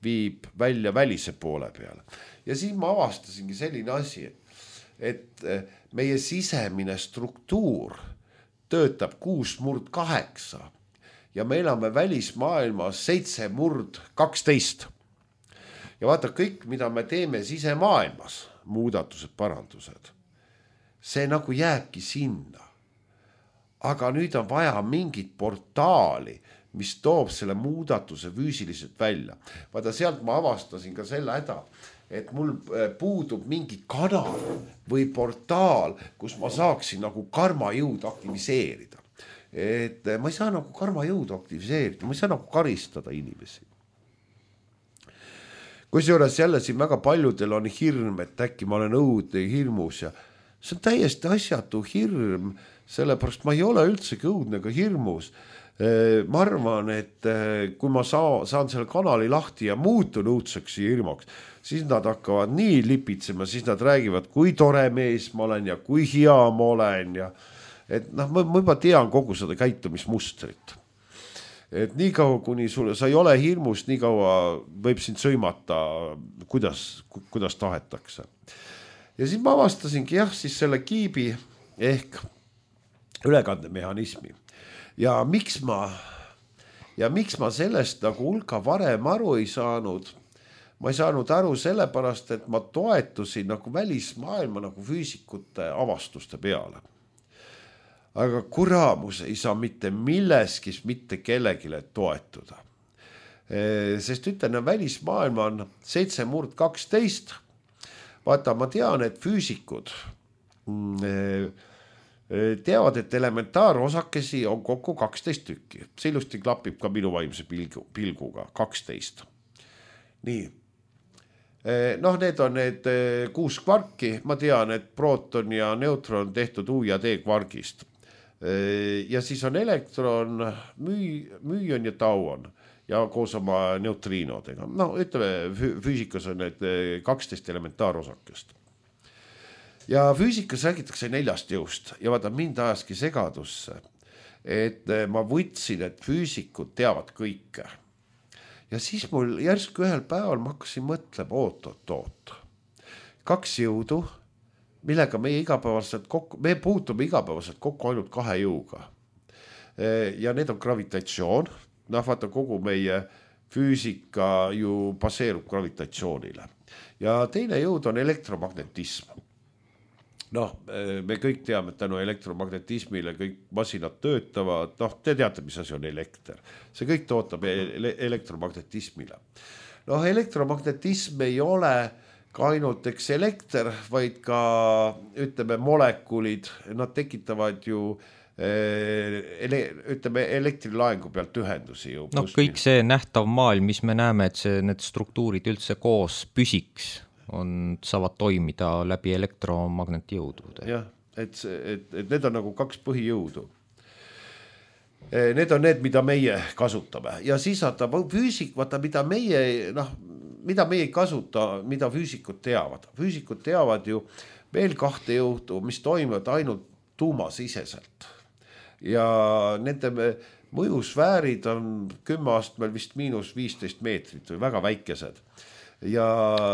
viib välja välise poole peale. Ja siis ma avastasingi selline asi, et meie sisemine struktuur töötab 6/8 ja me elame välismaailmas 7/12. Ja vaata, kõik, mida me teeme sisemaailmas, muudatused, parandused, see nagu jääbki sinna. Aga nüüd on vaja mingit portaali, mis toob selle muudatuse füüsiliselt välja. Vaata, sealt ma avastasin ka selle häda, et mul puudub mingi kanal või portaal, kus ma saaksin nagu karmajõud aktiviseerida. Et ma ei saa nagu karmajõudu aktiviseerida, ma ei saa nagu karistada inimesi. Kusjuures jälle siin väga paljudel on hirm, et äkki ma olen õudne hirmus ja see on täiesti asjatu hirm, sellepärast ma ei ole üldsegi õudne ega hirmus. Ma arvan, et kui ma saan selle kanali lahti ja muutun õudseks ja hirmuks, siis nad hakkavad nii lipitsema, siis nad räägivad, kui tore mees ma olen ja kui hea ma olen ja et noh, ma juba tean kogu seda käitumismustrit. Et nii kaua, kuni sa ei ole hirmus, nii kaua võib sind sõimata, kuidas tahetakse. Ja siis ma avastasingi siis selle kiibi ehk ülekandemehhanismi. Ja miks ma sellest nagu hulka varem aru ei saanud? Ma ei saanud aru sellepärast, et ma toetusin nagu välismaailma nagu füüsikute avastuste peale. Aga kuramus ei saa mitte milleski mitte kellegile toetuda. Sest ütlen, välismaailma on 7/12. Vaata, ma tean, et füüsikud teavad, et elementaarosakesi on kokku 12 tükki. See ilusti klapib ka minu vaimse pilguga, 12. Nii. Noh, need on need 6 kvarki. Ma tean, et prooton ja neutron on tehtud U ja D kvargist. Ja siis on elektron, müüon ja tauon ja koos oma neutriinodega. No, ütleme, füüsikas on need 12 elementaarosakest. Ja füüsikas räägitakse 4 jõust ja vaata, mind ajaski segadusse, et ma võtsin, et füüsikud teavad kõike. Ja siis mul järsku ühel päeval ma hakkasin mõtlema, oot. 2 jõudu, millega me puutume igapäevaselt kokku ainult 2 jõuga. Ja need on gravitatsioon. Noh, vaata, kogu meie füüsika ju baseerub gravitatsioonile. Ja teine jõud on elektromagnetism. Noh, me kõik teame, et tänu elektromagnetismile kõik masinad töötavad. Noh, te teate, mis asi on elekter. See kõik tootab elektromagnetismile. Noh, elektromagnetism ei ole ka ainult elekter, vaid ka, ütleme, molekulid. Nad tekitavad ju ütleme, elektrilaengu pealt ühendusi ju. No kõik see nähtav maailm, mis me näeme, et need struktuurid üldse koos püsiks, saavad toimida läbi elektromagnetjõudude. Jah, et need on nagu 2 põhijõudu. Need on need, mida meie kasutame. Ja siis füüsik, vaata, mida meie ei kasuta, mida füüsikud teavad. Füüsikud teavad ju veel 2 jõudu, mis toimivad ainult tuumasiseselt. Ja nende mõjusfäärid on 10 astmel vist -15 meetrit või väga väikesed. Ja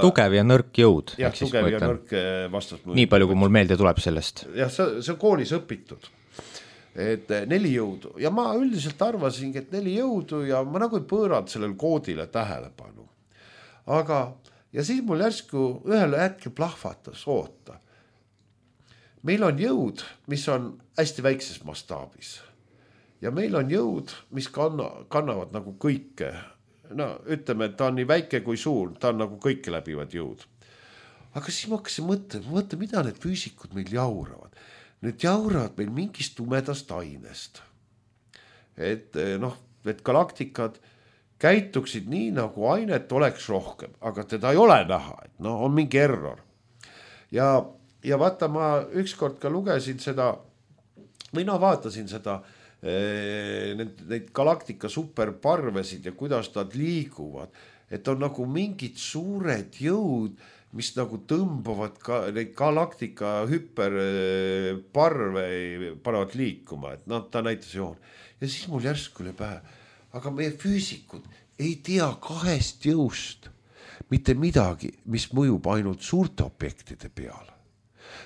tugev ja nõrk jõud. Jah, tugev ja nõrk vastasmõju. Nii palju, kui mul meelde tuleb sellest. Jah, see on koolis õpitud. Et 4 jõudu. Ja ma üldiselt arvasingi, et 4 jõudu ja ma nagu ei pööranud sellel koodile tähelepanu. Aga, ja siis mul järsku ühel hetkel plahvatas, oota. Meil on jõud, mis on hästi väikses mastaabis. Ja meil on jõud, mis kannavad nagu kõike. No, ütleme, et ta on nii väike kui suur, ta on nagu kõike läbivad jõud. Aga siis ma hakkasin mõtlema, mida need füüsikud meil jauravad. Need jauravad meil mingist tumedast ainest. Et galaktikad käituksid nii, nagu ainet oleks rohkem, aga teda ei ole näha, et on mingi error. Ja vaata, ma ükskord ka lugesin seda, või vaatasin seda, neid galaktika superparvesid ja kuidas nad liiguvad, et on nagu mingid suured jõud, mis nagu tõmbavad ka neid galaktika hüperparve panevad liikuma, et ta näitas joon. Ja siis mul järsku oli pähe, aga meie füüsikud ei tea 2 jõust mitte midagi, mis mõjub ainult suurte objektide peale.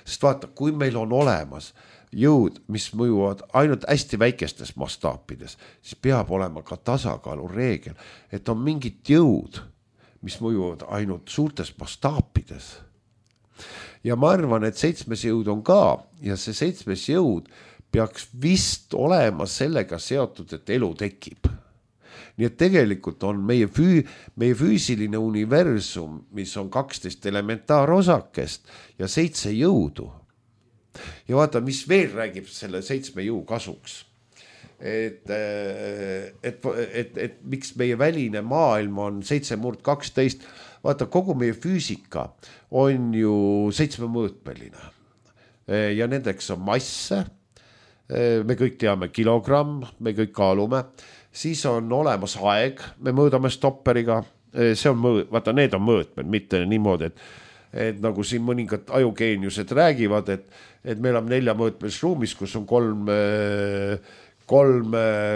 Sest vaata, kui meil on olemas jõud, mis mõjuvad ainult hästi väikestes mastaapides, siis peab olema ka tasakaalu reegel, et on mingid jõud, mis mõjuvad ainult suurtes mastaapides. Ja ma arvan, et 7. jõud on ka ja see 7. jõud peaks vist olema sellega seotud, et elu tekib. Nii et tegelikult on meie füüsiline universum, mis on 12 elementaarosakest ja 7 jõudu. Ja vaata, mis veel räägib selle 7 jõu kasuks. Et miks meie väline maailm on 7/12. Vaata, kogu meie füüsika on ju 7-mõõtmeline. Ja nendeks on masse, me kõik teame kilogramm, me kõik kaalume, siis on olemas aeg, me mõõdame stopperiga, see on vaata, need on mõõtmed, mitte niimoodi, et nagu siin mõningad ajugeeniused räägivad, et meil on 4-mõõtmelis ruumis, kus on kolm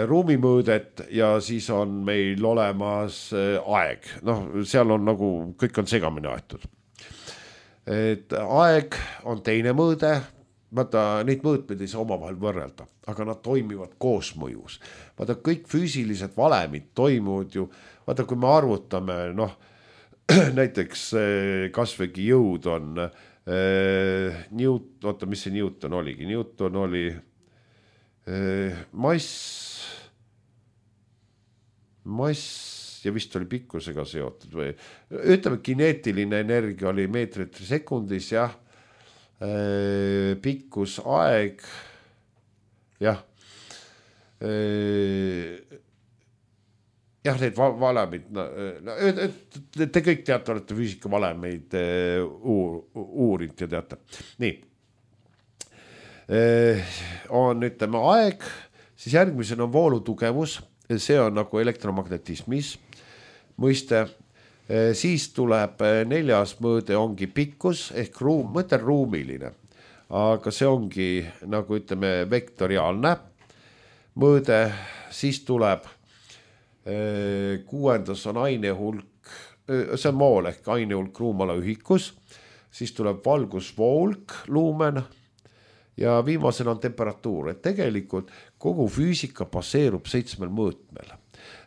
ruumimõõdet ja siis on meil olemas aeg. Noh, seal on nagu, kõik on segamini aetud. Et aeg on teine mõõde, vaata, neid mõõtmeid ei saa omavahel võrrelda, aga nad toimivad koosmõjus. Vaata, kõik füüsilised valemid toimuvad ju, vaata, kui me arvutame, noh, näiteks kasvõigi jõud on oota, mis see Newton oligi? Newton oli mass ja vist oli pikkusega seotud või ütleme, kineetiline energia oli meetrit sekundis, jah, pikkus, aeg, jah, jah, need valemid, te kõik teate, olete füüsika valemeid uurinud ja teate. Nii, on, ütleme, aeg, siis järgmisena on voolutugevus, see on nagu elektromagnetismis mõiste, siis tuleb 4. mõõde ongi pikkus ehk ruum, mõte ruumiline, aga see ongi nagu ütleme vektoriaalne mõõde, siis tuleb 6. on ainehulk, see on mool ehk ainehulk ruumala ühikus, siis tuleb valgusvoolk, luumen ja viimasena on temperatuur, et tegelikult kogu füüsika baseerub 7 mõõtmel.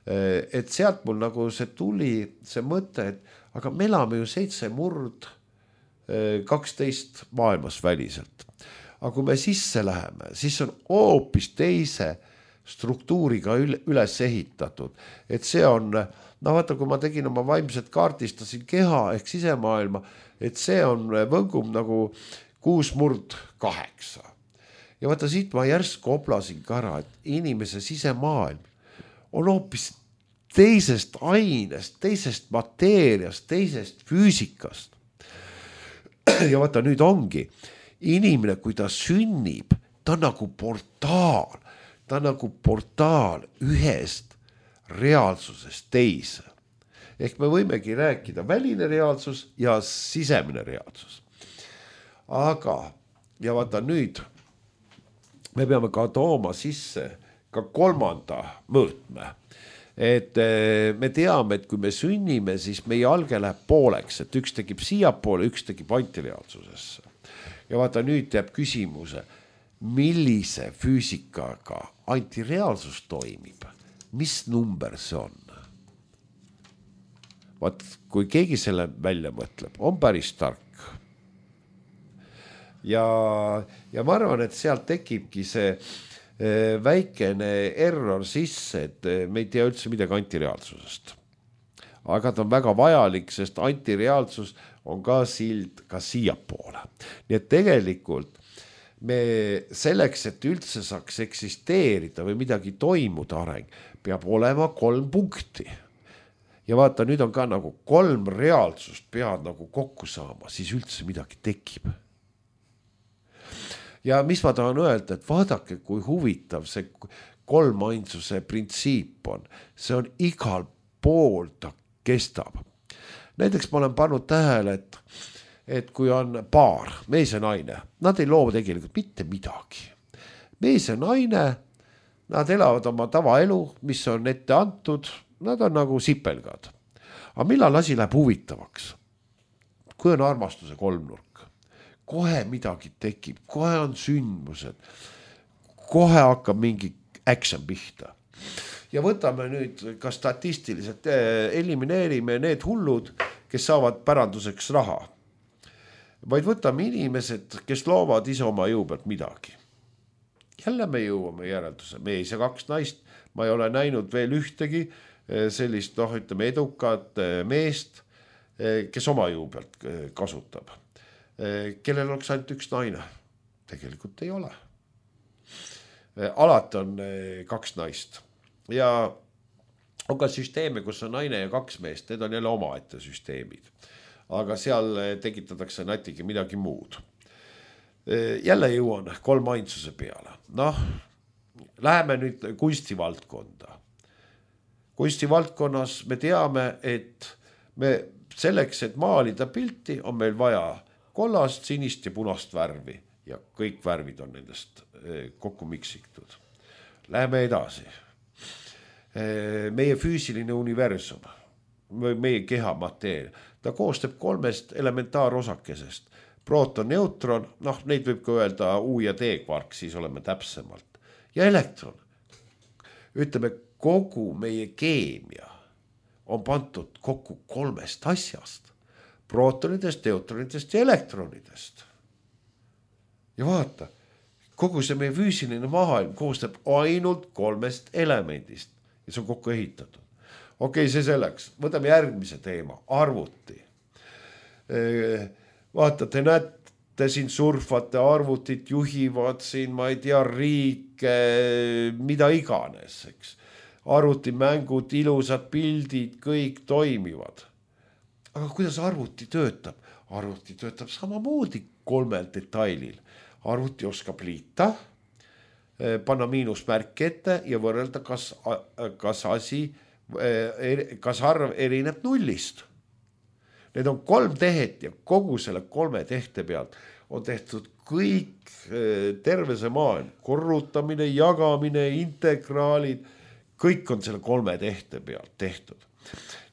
Et sealt mul nagu see tuli, see mõte, et aga me elame ju 7/12 maailmas väliselt. Aga kui me sisse läheme, siis on hoopis teise struktuuriga üles ehitatud. Et see on, no vaata, kui ma tegin oma vaimset kaartistasin keha ehk sisemaailma, et see on võngum nagu 6/8. Ja vaata, siit ma järsku oplasin ka ära, et inimese sisemaailm on hoopis teisest ainest, teisest mateeriast, teisest füüsikast. Ja vaata, nüüd ongi inimene, kui ta sünnib, ta on nagu portaal. Ta on nagu portaal ühest reaalsusest teise. Ehk me võimegi rääkida väline reaalsus ja sisemine reaalsus. Aga, ja vaata nüüd, me peame ka tooma sisse ka 3. mõõtme. Et me teame, et kui me sünnime, siis meie alge läheb pooleks, et üks tekib siiapoole, üks tekib antireaalsusesse. Ja vaata, nüüd jääb küsimuse, millise füüsikaga antireaalsus toimib, mis number see on? Vaat, kui keegi selle välja mõtleb, on päris tark. Ja ma arvan, et sealt tekibki see väikene error sisse, et me ei tea üldse midagi antireaalsusest. Aga ta on väga vajalik, sest antireaalsus on ka sild ka siiapoole. Nii et tegelikult me selleks, et üldse saaks eksisteerida või midagi toimuda areng, peab olema 3 punkti. Ja vaata, nüüd on ka nagu 3 reaalsust pead nagu kokku saama, siis üldse midagi tekib. Ja mis ma tahan öelda, et vaadake, kui huvitav see 3 ainsuse printsiip on. See on igal pool ta kestab. Näiteks ma olen pannud tähele, et kui on paar, mees ja naine, nad ei loo tegelikult mitte midagi. Mees ja naine, nad elavad oma tavaelu, mis on ette antud, nad on nagu sipelgad. Aga millal asi läheb huvitavaks? Kui on armastuse kolmnurk, kohe midagi tekib, kohe on sündmused, kohe hakkab mingi action pihta. Ja võtame nüüd ka statistiliselt, elimineerime need hullud, kes saavad päranduseks raha. Vaid võtame inimesed, kes loovad ise oma jõu pealt midagi. Jälle me jõuame järelduse, mees ja 2 naist, ma ei ole näinud veel ühtegi sellist, ütleme, edukat meest, kes oma jõu pealt kasutab. Kellel oleks ainult 1 naine? Tegelikult ei ole. Alati on 2 naist. Ja on ka süsteeme, kus on naine ja 2 meest, need on jälle omaette süsteemid. Aga seal tekitatakse natuke midagi muud. jälle jõuan kolmainsuse peale. Noh, läheme nüüd kunstivaldkonda. Kunstivaldkonnas me teame, et me selleks, et maalida pilti, on meil vaja kollast, sinist ja punast värvi ja kõik värvid on nendest kokku miksitud. Läheme edasi. Meie füüsiline universum, meie keha mateeria, ta koostab 3 elementaarosakesest. Proton, neutron, noh, neid võib ka öelda U ja D kvark, siis oleme täpsemalt. Ja elektron. Ütleme, kogu meie keemia on pandud kokku 3 asjast. Protonidest, neutronidest ja elektronidest. Ja vaata, kogu see meie füüsiline maailm koostab ainult 3 elemendist ja see on kokku ehitatud. Okei, see selleks. Võtame järgmise teema, arvuti. Vaata, te näete siin surfate, arvutit juhivad siin, ma ei tea, riike, mida iganes, eks. Arvutimängud, ilusad pildid, kõik toimivad. Aga kuidas arvuti töötab? Arvuti töötab samamoodi 3 detailil. Arvuti oskab liita, panna miinusmärk ette ja võrrelda, kas arv erineb nullist. Need on 3 tehet ja kogu selle 3 tehte pealt on tehtud kõik terve see maailm. Korrutamine, jagamine, integraalid, kõik on selle 3 tehte pealt tehtud.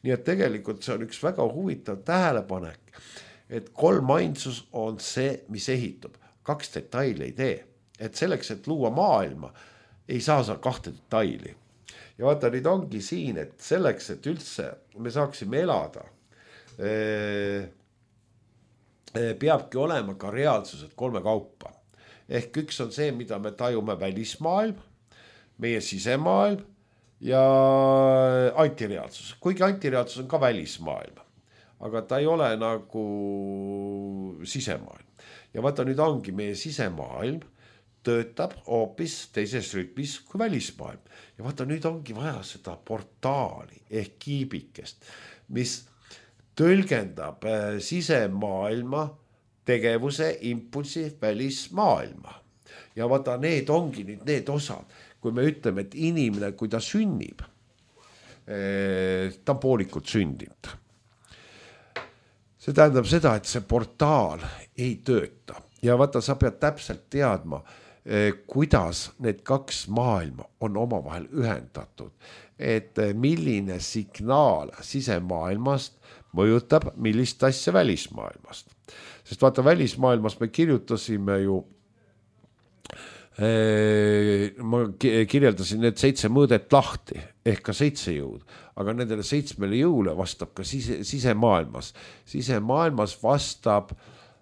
Nii et tegelikult see on üks väga huvitav tähelepanek, et kolmainsus on see, mis ehitub. 2 detaili ei tee. Et selleks, et luua maailma, ei saa 2 detaili. Ja vaata, nüüd ongi siin, et selleks, et üldse me saaksime elada, peabki olema ka reaalsused 3 kaupa. Ehk üks on see, mida me tajume välismaailm, meie sisemaailm ja antireaalsus. Kuigi antireaalsus on ka välismaailm, aga ta ei ole nagu sisemaailm. Ja vaata, nüüd ongi meie sisemaailm töötab hoopis teises rütmis kui välismaailm. Ja vaata, nüüd ongi vaja seda portaali ehk kiibikest, mis tõlgendab sisemaailma tegevuse impulsi välismaailma. Ja vaata, need ongi nüüd need osad. Kui me ütleme, et inimene, kui ta sünnib, ta on poolikult sündinud. See tähendab seda, et see portaal ei tööta. Ja vaata, sa pead täpselt teadma, kuidas need 2 maailma on omavahel ühendatud. Et milline signaal sisemaailmast mõjutab millist asja välismaailmast. Sest vaata, välismaailmas me kirjutasime ju, ma kirjeldasin need 7 mõõdet lahti, ehk ka 7 jõud, aga nendele 7 jõule vastab ka sisemaailmas. Sisemaailmas vastab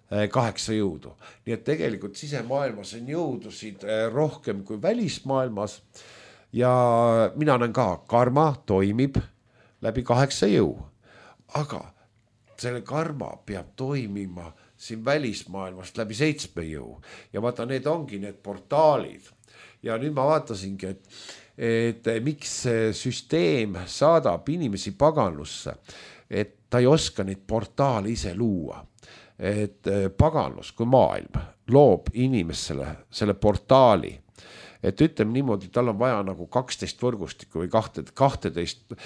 8 jõudu. Nii et tegelikult sisemaailmas on jõudusid rohkem kui välismaailmas ja mina näen ka, karma toimib läbi 8 jõu. Aga selle karma peab toimima siin välismaailmast läbi 7 jõu. Ja vaata, need ongi need portaalid. Ja nüüd ma vaatasingi, et miks see süsteem saadab inimesi paganlusse, et ta ei oska neid portaale ise luua. Et paganlus kui maailm loob inimesele selle portaali. Et ütleme niimoodi, tal on vaja nagu 12 võrgustikku või 12.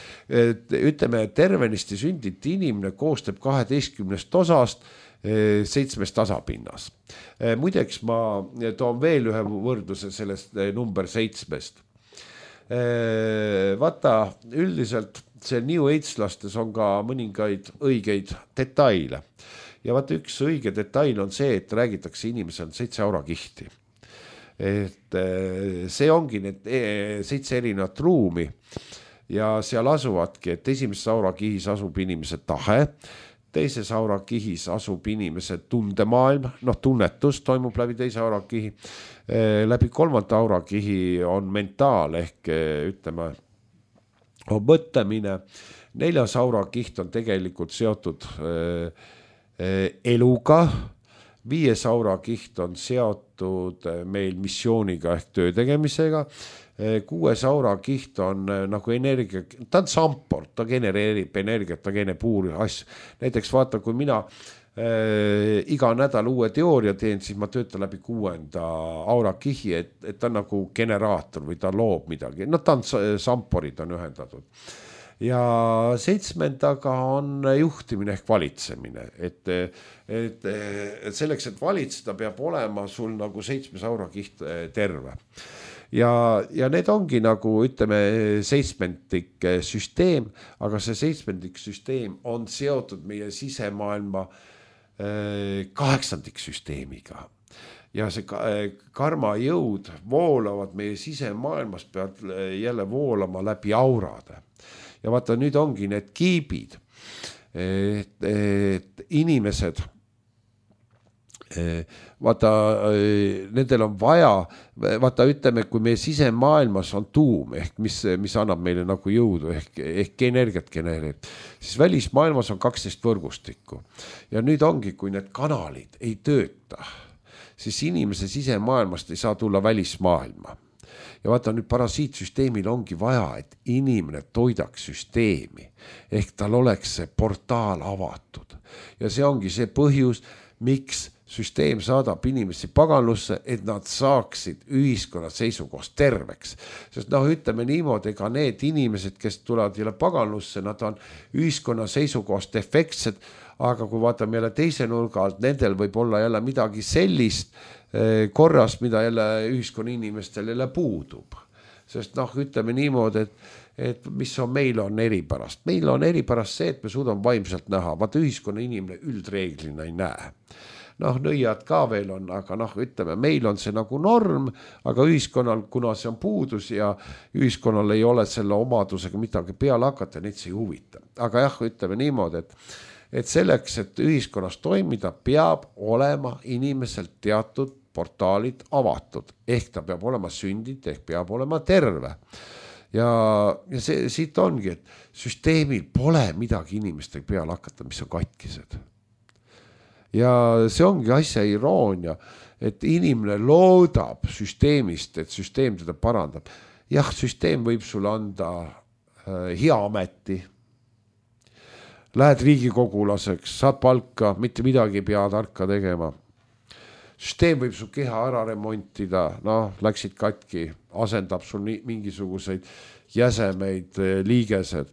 Ütleme, tervenisti sündit inimene koostab 12 osast 7 tasapinnas. Muideks ma toon veel ühe võrdluse sellest number 7. Vaata, üldiselt see New Age-lastes on ka mõningaid õigeid detaile. Ja vaata, üks õige detail on see, et räägitakse inimesel 7 aurakihti. Et see ongi need 7 erinevat ruumi ja seal asuvadki, et esimeses aurakihis asub inimese tahe, teises aurakihis asub inimese tundemaailm, tunnetus toimub läbi teise aurakihi, läbi 3. aurakihi on mentaal ehk ütleme on mõtlemine, 4. aurakiht on tegelikult seotud eluga, 5. auраkiht on seotud meil missiooniga ehk töö tegemisega, 6. auраkiht on nagu energia, ta on samport, ta genereerib energiat, ta genereerib asju. Näiteks vaata, kui mina iga nädal uue teooria teen, siis ma töötan läbi 6. aurakihi, et ta on nagu generaator või ta loob midagi. No ta on samporid on ühendatud. Ja 7. on juhtimine ehk valitsemine, et selleks, et valitseda, peab olema sul nagu 7. aurakiht terve. Ja need ongi nagu, ütleme, 7. süsteem, aga see 7. süsteem on seotud meie sisemaailma 8. süsteemiga. Ja see karma jõud voolavad meie sisemaailmas, peavad jälle voolama läbi aurade. Ja vaata, nüüd ongi need kiibid, et inimesed, vaata, nendel on vaja, vaata, ütleme, kui meie sisemaailmas on tuum, ehk mis annab meile nagu jõudu, ehk energiat genereerib, siis välismaailmas on 12 võrgustikku. Ja nüüd ongi, kui need kanalid ei tööta, siis inimese sisemaailmast ei saa tulla välismaailma. Ja vaata, nüüd parasiitsüsteemil ongi vaja, et inimene toidaks süsteemi, ehk tal oleks see portaal avatud. Ja see ongi see põhjus, miks süsteem saadab inimesi paganlusse, et nad saaksid ühiskonna seisukohast terveks. Sest ütleme niimoodi, ega need inimesed, kes tulevad jälle paganlusse, nad on ühiskonna seisukohast defektsed, aga kui vaatame jälle teise nurga alt, nendel võib olla jälle midagi sellist korras, mida jälle ühiskonna inimestel jälle puudub. Sest ütleme niimoodi, et mis on, meil on eripärast. Meil on eripärast see, et me suudame vaimselt näha. Vaata, ühiskonna inimene üldreeglina ei näe. Nõiad ka veel on, aga ütleme, meil on see nagu norm, aga ühiskonnal, kuna see on puudus ja ühiskonnal ei ole selle omadusega midagi peale hakata, neid see ei huvita. Aga jah, ütleme niimoodi, et selleks, et ühiskonnas toimida, peab olema inimeselt teatud portaalid avatud, ehk ta peab olema sündid, ehk peab olema terve. Ja see siit ongi, et süsteemil pole midagi inimestega peale hakata, mis on katkised. Ja see ongi asja iroonia, et inimene loodab süsteemist, et süsteem teda parandab. Jah, süsteem võib sulle anda hea ameti. Lähed riigikogulaseks, saad palka, mitte midagi ei pea tarka tegema. Süsteem võib su keha ära remontida, läksid katki, asendab sul mingisuguseid jäsemeid, liigesed.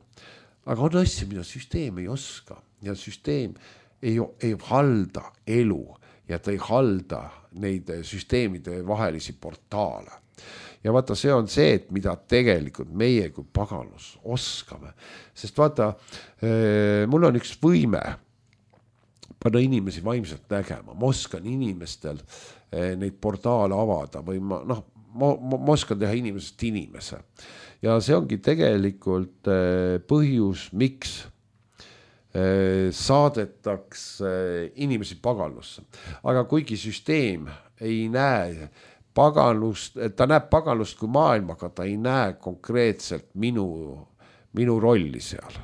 Aga on asja, mida süsteem ei oska ja süsteem ei halda elu ja ta ei halda neid süsteemide vahelisi portaale. Ja vaata, see on see, et mida tegelikult meie kui paganlus oskame. Sest vaata, mul on üks võime panna inimesi vaimselt nägema. Ma oskan inimestel neid portaale avada või ma oskan teha inimesest inimese. Ja see ongi tegelikult põhjus, miks saadetakse inimesi paganlusse. Aga kuigi süsteem ei näe paganlust, ta näeb paganlust kui maailma, aga ta ei näe konkreetselt minu rolli seal.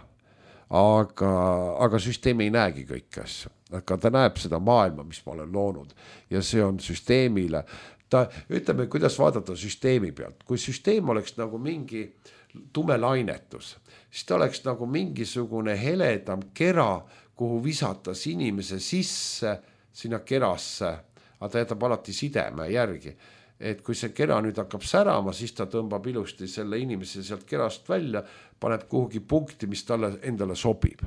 Aga süsteem ei näegi kõiki asju. Aga ta näeb seda maailma, mis ma olen loonud. Ja see on süsteemile. Ütleme, kuidas vaadata süsteemi pealt. Kui süsteem oleks nagu mingi tume lainetus, siis ta oleks nagu mingisugune heledam kera, kuhu visatas inimese sisse sinna kerasse, aga ta jätab alati sideme järgi. Et kui see kera nüüd hakkab särama, siis ta tõmbab ilusti selle inimese sealt kerast välja, paneb kuhugi punkti, mis talle endale sobib.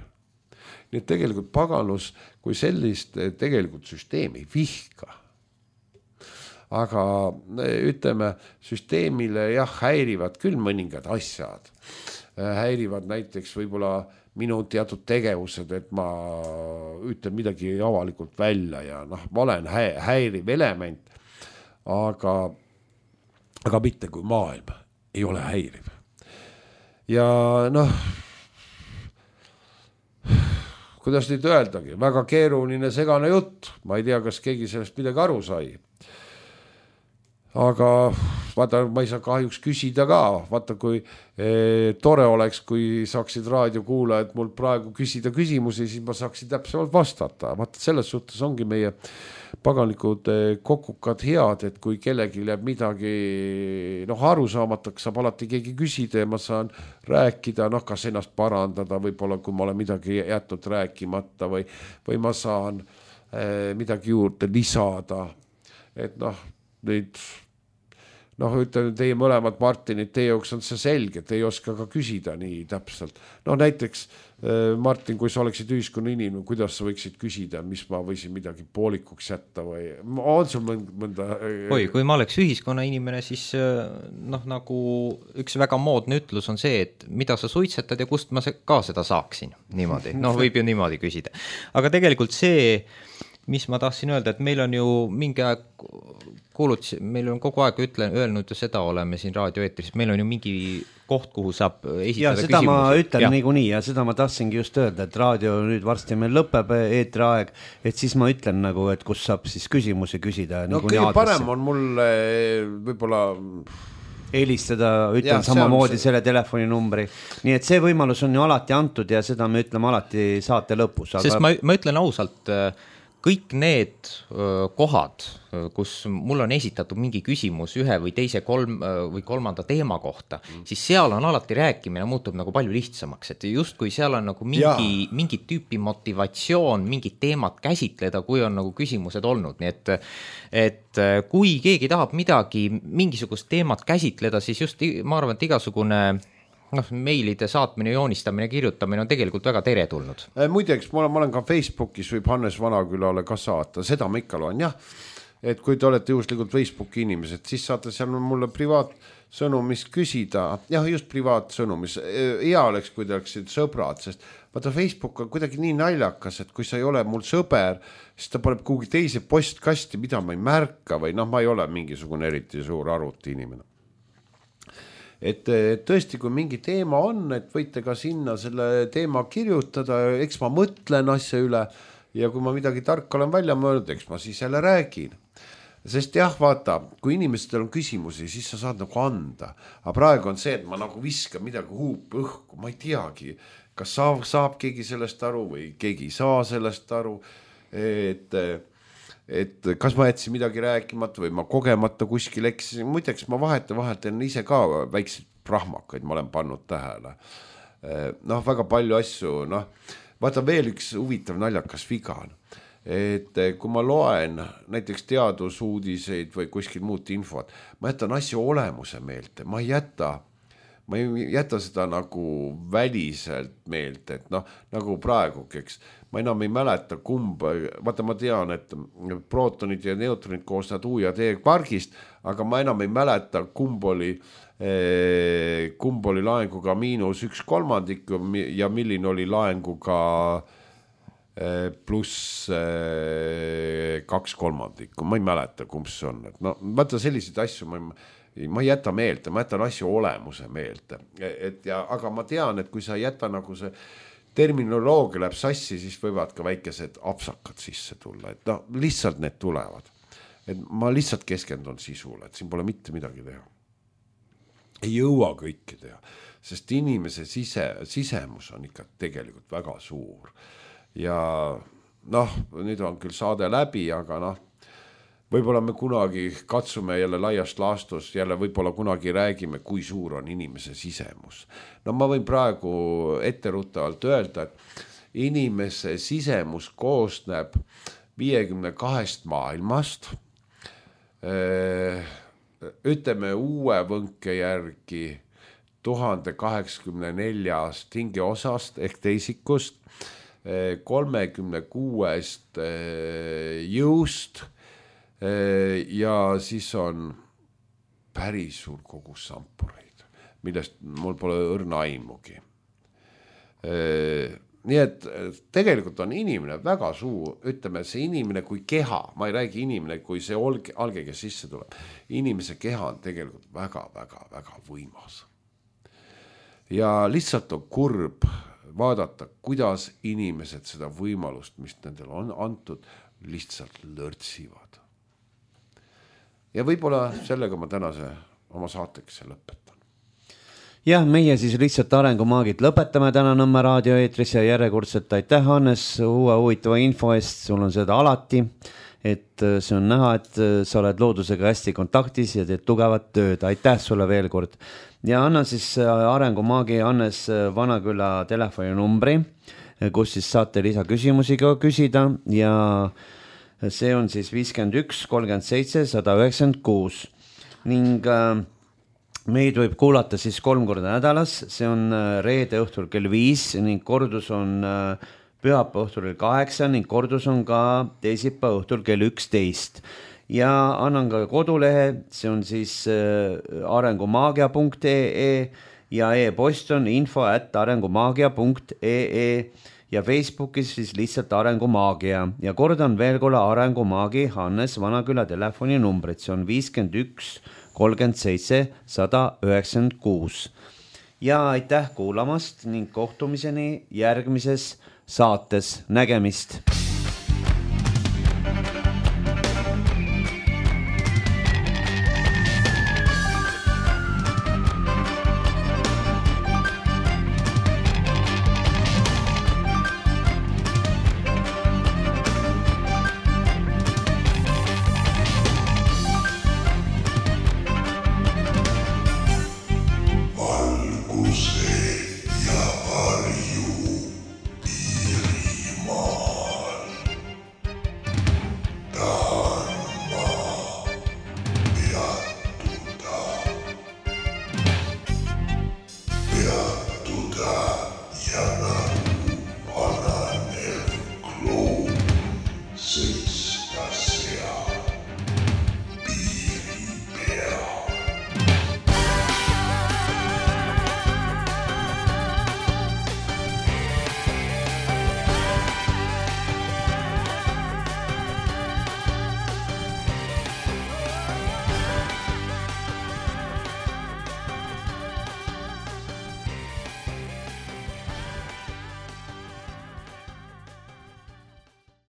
Nii et tegelikult paganlus, kui sellist tegelikult süsteem ei vihka. Aga ütleme, süsteemile häirivad küll mõningad asjad. Häirivad näiteks võib-olla minu teatud tegevused, et ma ütlen midagi avalikult välja ja ma olen häiriv element, aga mitte kui maailm ei ole häiriv. Ja kuidas nüüd öeldagi, väga keeruline segane jutt, ma ei tea, kas keegi sellest midagi aru sai. aga vaata, ma ei saa kahjuks küsida ka, vaata kui tore oleks, kui saaksid raadiokuulajad mul praegu küsida küsimusi, siis ma saaksin täpsemalt vastata. Vaata, selles suhtes ongi meie paganikud kokukad head, et kui kellegi jääb midagi arusaamatuks, saab alati keegi küsida ja ma saan rääkida, kas ennast parandada, võib-olla kui ma olen midagi jätnud rääkimata või ma saan midagi juurde lisada, et neid ütleme, teie mõlemad Martinid, teie jaoks on see selge, te ei oska ka küsida nii täpselt. Näiteks Martin, kui sa oleksid ühiskonna inimene, kuidas sa võiksid küsida, mis ma võisin midagi poolikuks jätta või on sul mõnda... Oi, kui ma oleks ühiskonna inimene, siis nagu üks väga moodne ütlus on see, et mida sa suitsetad ja kust ma ka seda saaksin. Niimoodi, võib ju niimoodi küsida. Aga tegelikult see, mis ma tahtsin öelda, et meil on ju mingi aeg meil on kogu aeg öelnud ja seda oleme siin raadioeetris, meil on ju mingi koht, kuhu saab esitada küsimusi. Ja seda ma ütlen niikuinii ja seda ma tahtsingi just öelda, et raadio nüüd varsti meil lõpeb eetriaeg, et siis ma ütlen nagu, et kus saab siis küsimusi küsida. Kõige parem on mul võib-olla... Helistada, ütlen samamoodi selle telefoninumbri. Nii et see võimalus on ju alati antud ja seda me ütleme alati saate lõpus. Aga... Sest ma ütlen ausalt... Kõik need kohad, kus mul on esitatud mingi küsimus ühe või teise või kolmanda teema kohta, siis seal on alati rääkimine muutub nagu palju lihtsamaks, et just kui seal on nagu mingi tüüpi motivatsioon, mingit teemat käsitleda, kui on nagu küsimused olnud, nii et kui keegi tahab mingisugust teemat käsitleda, siis just ma arvan, et igasugune meilide saatmine, joonistamine, kirjutamine on tegelikult väga teretulnud. Muideks, ma olen ka Facebookis võib Hannes Vanakülale ka saata, seda ma ikka loen, jah. Et kui te olete juhuslikult Facebooki inimesed, siis saate seal mulle privaatsõnumis küsida, jah, just privaatsõnumis. Hea oleks, kui te oleksid sõbrad, sest vaata Facebook on kuidagi nii naljakas, et kui sa ei ole mul sõber, siis ta paneb kuhugi teise postkasti, mida ma ei märka või ma ei ole mingisugune eriti suur arvuti inimene. Et tõesti, kui mingi teema on, et võite ka sinna selle teema kirjutada, eks ma mõtlen asja üle ja kui ma midagi tarka olen välja mõelnud, eks ma siis jälle räägin. Sest jah, vaata, kui inimestel on küsimusi, siis sa saad nagu anda. Aga praegu on see, et ma nagu viskan midagi huupi õhku, ma ei teagi, kas saab keegi sellest aru või keegi ei saa sellest aru, et kas ma jätsin midagi rääkimata või ma kogemata kuskil eksisin. Muideks ma vahelt teen ise ka väikseid prahmakaid, ma olen pannud tähele. Väga palju asju, vaata veel üks huvitav naljakas viga on. Et kui ma loen näiteks teadusuudiseid või kuskil muud infot, ma jätan asju olemuse meelte, ma ei jäta seda nagu väliselt meelt, et nagu praegu, eks, ma enam ei mäleta kumba, vaata ma tean, et prootonid ja neutronid koosnevad U ja D kvargist, aga ma enam ei mäleta, kumb oli laenguga -1/3 ja milline oli laenguga pluss 2/3, ma ei mäleta, kumb see on, et vaata selliseid asju ma ei jäta meelde, ma jätan asju olemuse meelde, aga ma tean, et kui sa ei jäta nagu see terminoloogia läheb sassi, siis võivad ka väikesed apsakad sisse tulla, et lihtsalt need tulevad, et ma lihtsalt keskendun sisule, et siin pole mitte midagi teha, ei jõua kõike teha, sest inimese sisemus on ikka tegelikult väga suur ja nüüd on küll saade läbi, aga võib-olla me kunagi katsume jälle laiast laastust, jälle võib-olla kunagi räägime, kui suur on inimese sisemus. Ma võin praegu etteruttavalt öelda, et inimese sisemus koosneb 52 maailmast. Ütleme uue võnke järgi 1084 hingeosast ehk teisikust, 36 jõust, ja siis on päris suur kogus sampureid, millest mul pole õrna aimugi. Nii et tegelikult on inimene väga suur, ütleme see inimene kui keha, ma ei räägi inimene kui see alge, kes sisse tuleb, inimese keha on tegelikult väga võimas. Ja lihtsalt on kurb vaadata, kuidas inimesed seda võimalust, mis nendel on antud, lihtsalt lörtsivad. ja võib-olla sellega ma tänase oma saateks lõpetan. Jah, meie siis lihtsalt Arengumaagid lõpetame täna Nõmme raadioeetris ja järjekordselt aitäh, Hannes, uue huvitava info eest, sul on seda alati, et see on näha, et sa oled loodusega hästi kontaktis ja teed tugevat tööd, aitäh sulle veel kord. Ja annan siis Arengumaagi Hannes Vanaküla telefoninumbri, kus siis saate lisaküsimusi ka küsida ja see on siis 51 37 196 ning meid võib kuulata siis 3 korda nädalas, see on reede õhtul kell 5 ning kordus on pühapäeva õhtul kell 8 ning kordus on ka teisipäeva õhtul kell 11. Ja annan ka kodulehe, see on siis arengumaagia.ee ja e-post on info@arengumaagia.ee ja Facebookis siis lihtsalt Arengumaagia ja kordan veel korda Arengumaagi Hannes Vanaküla telefoninumbrit, see on 51 37 196. Ja aitäh kuulamast ning kohtumiseni järgmises saates, nägemist!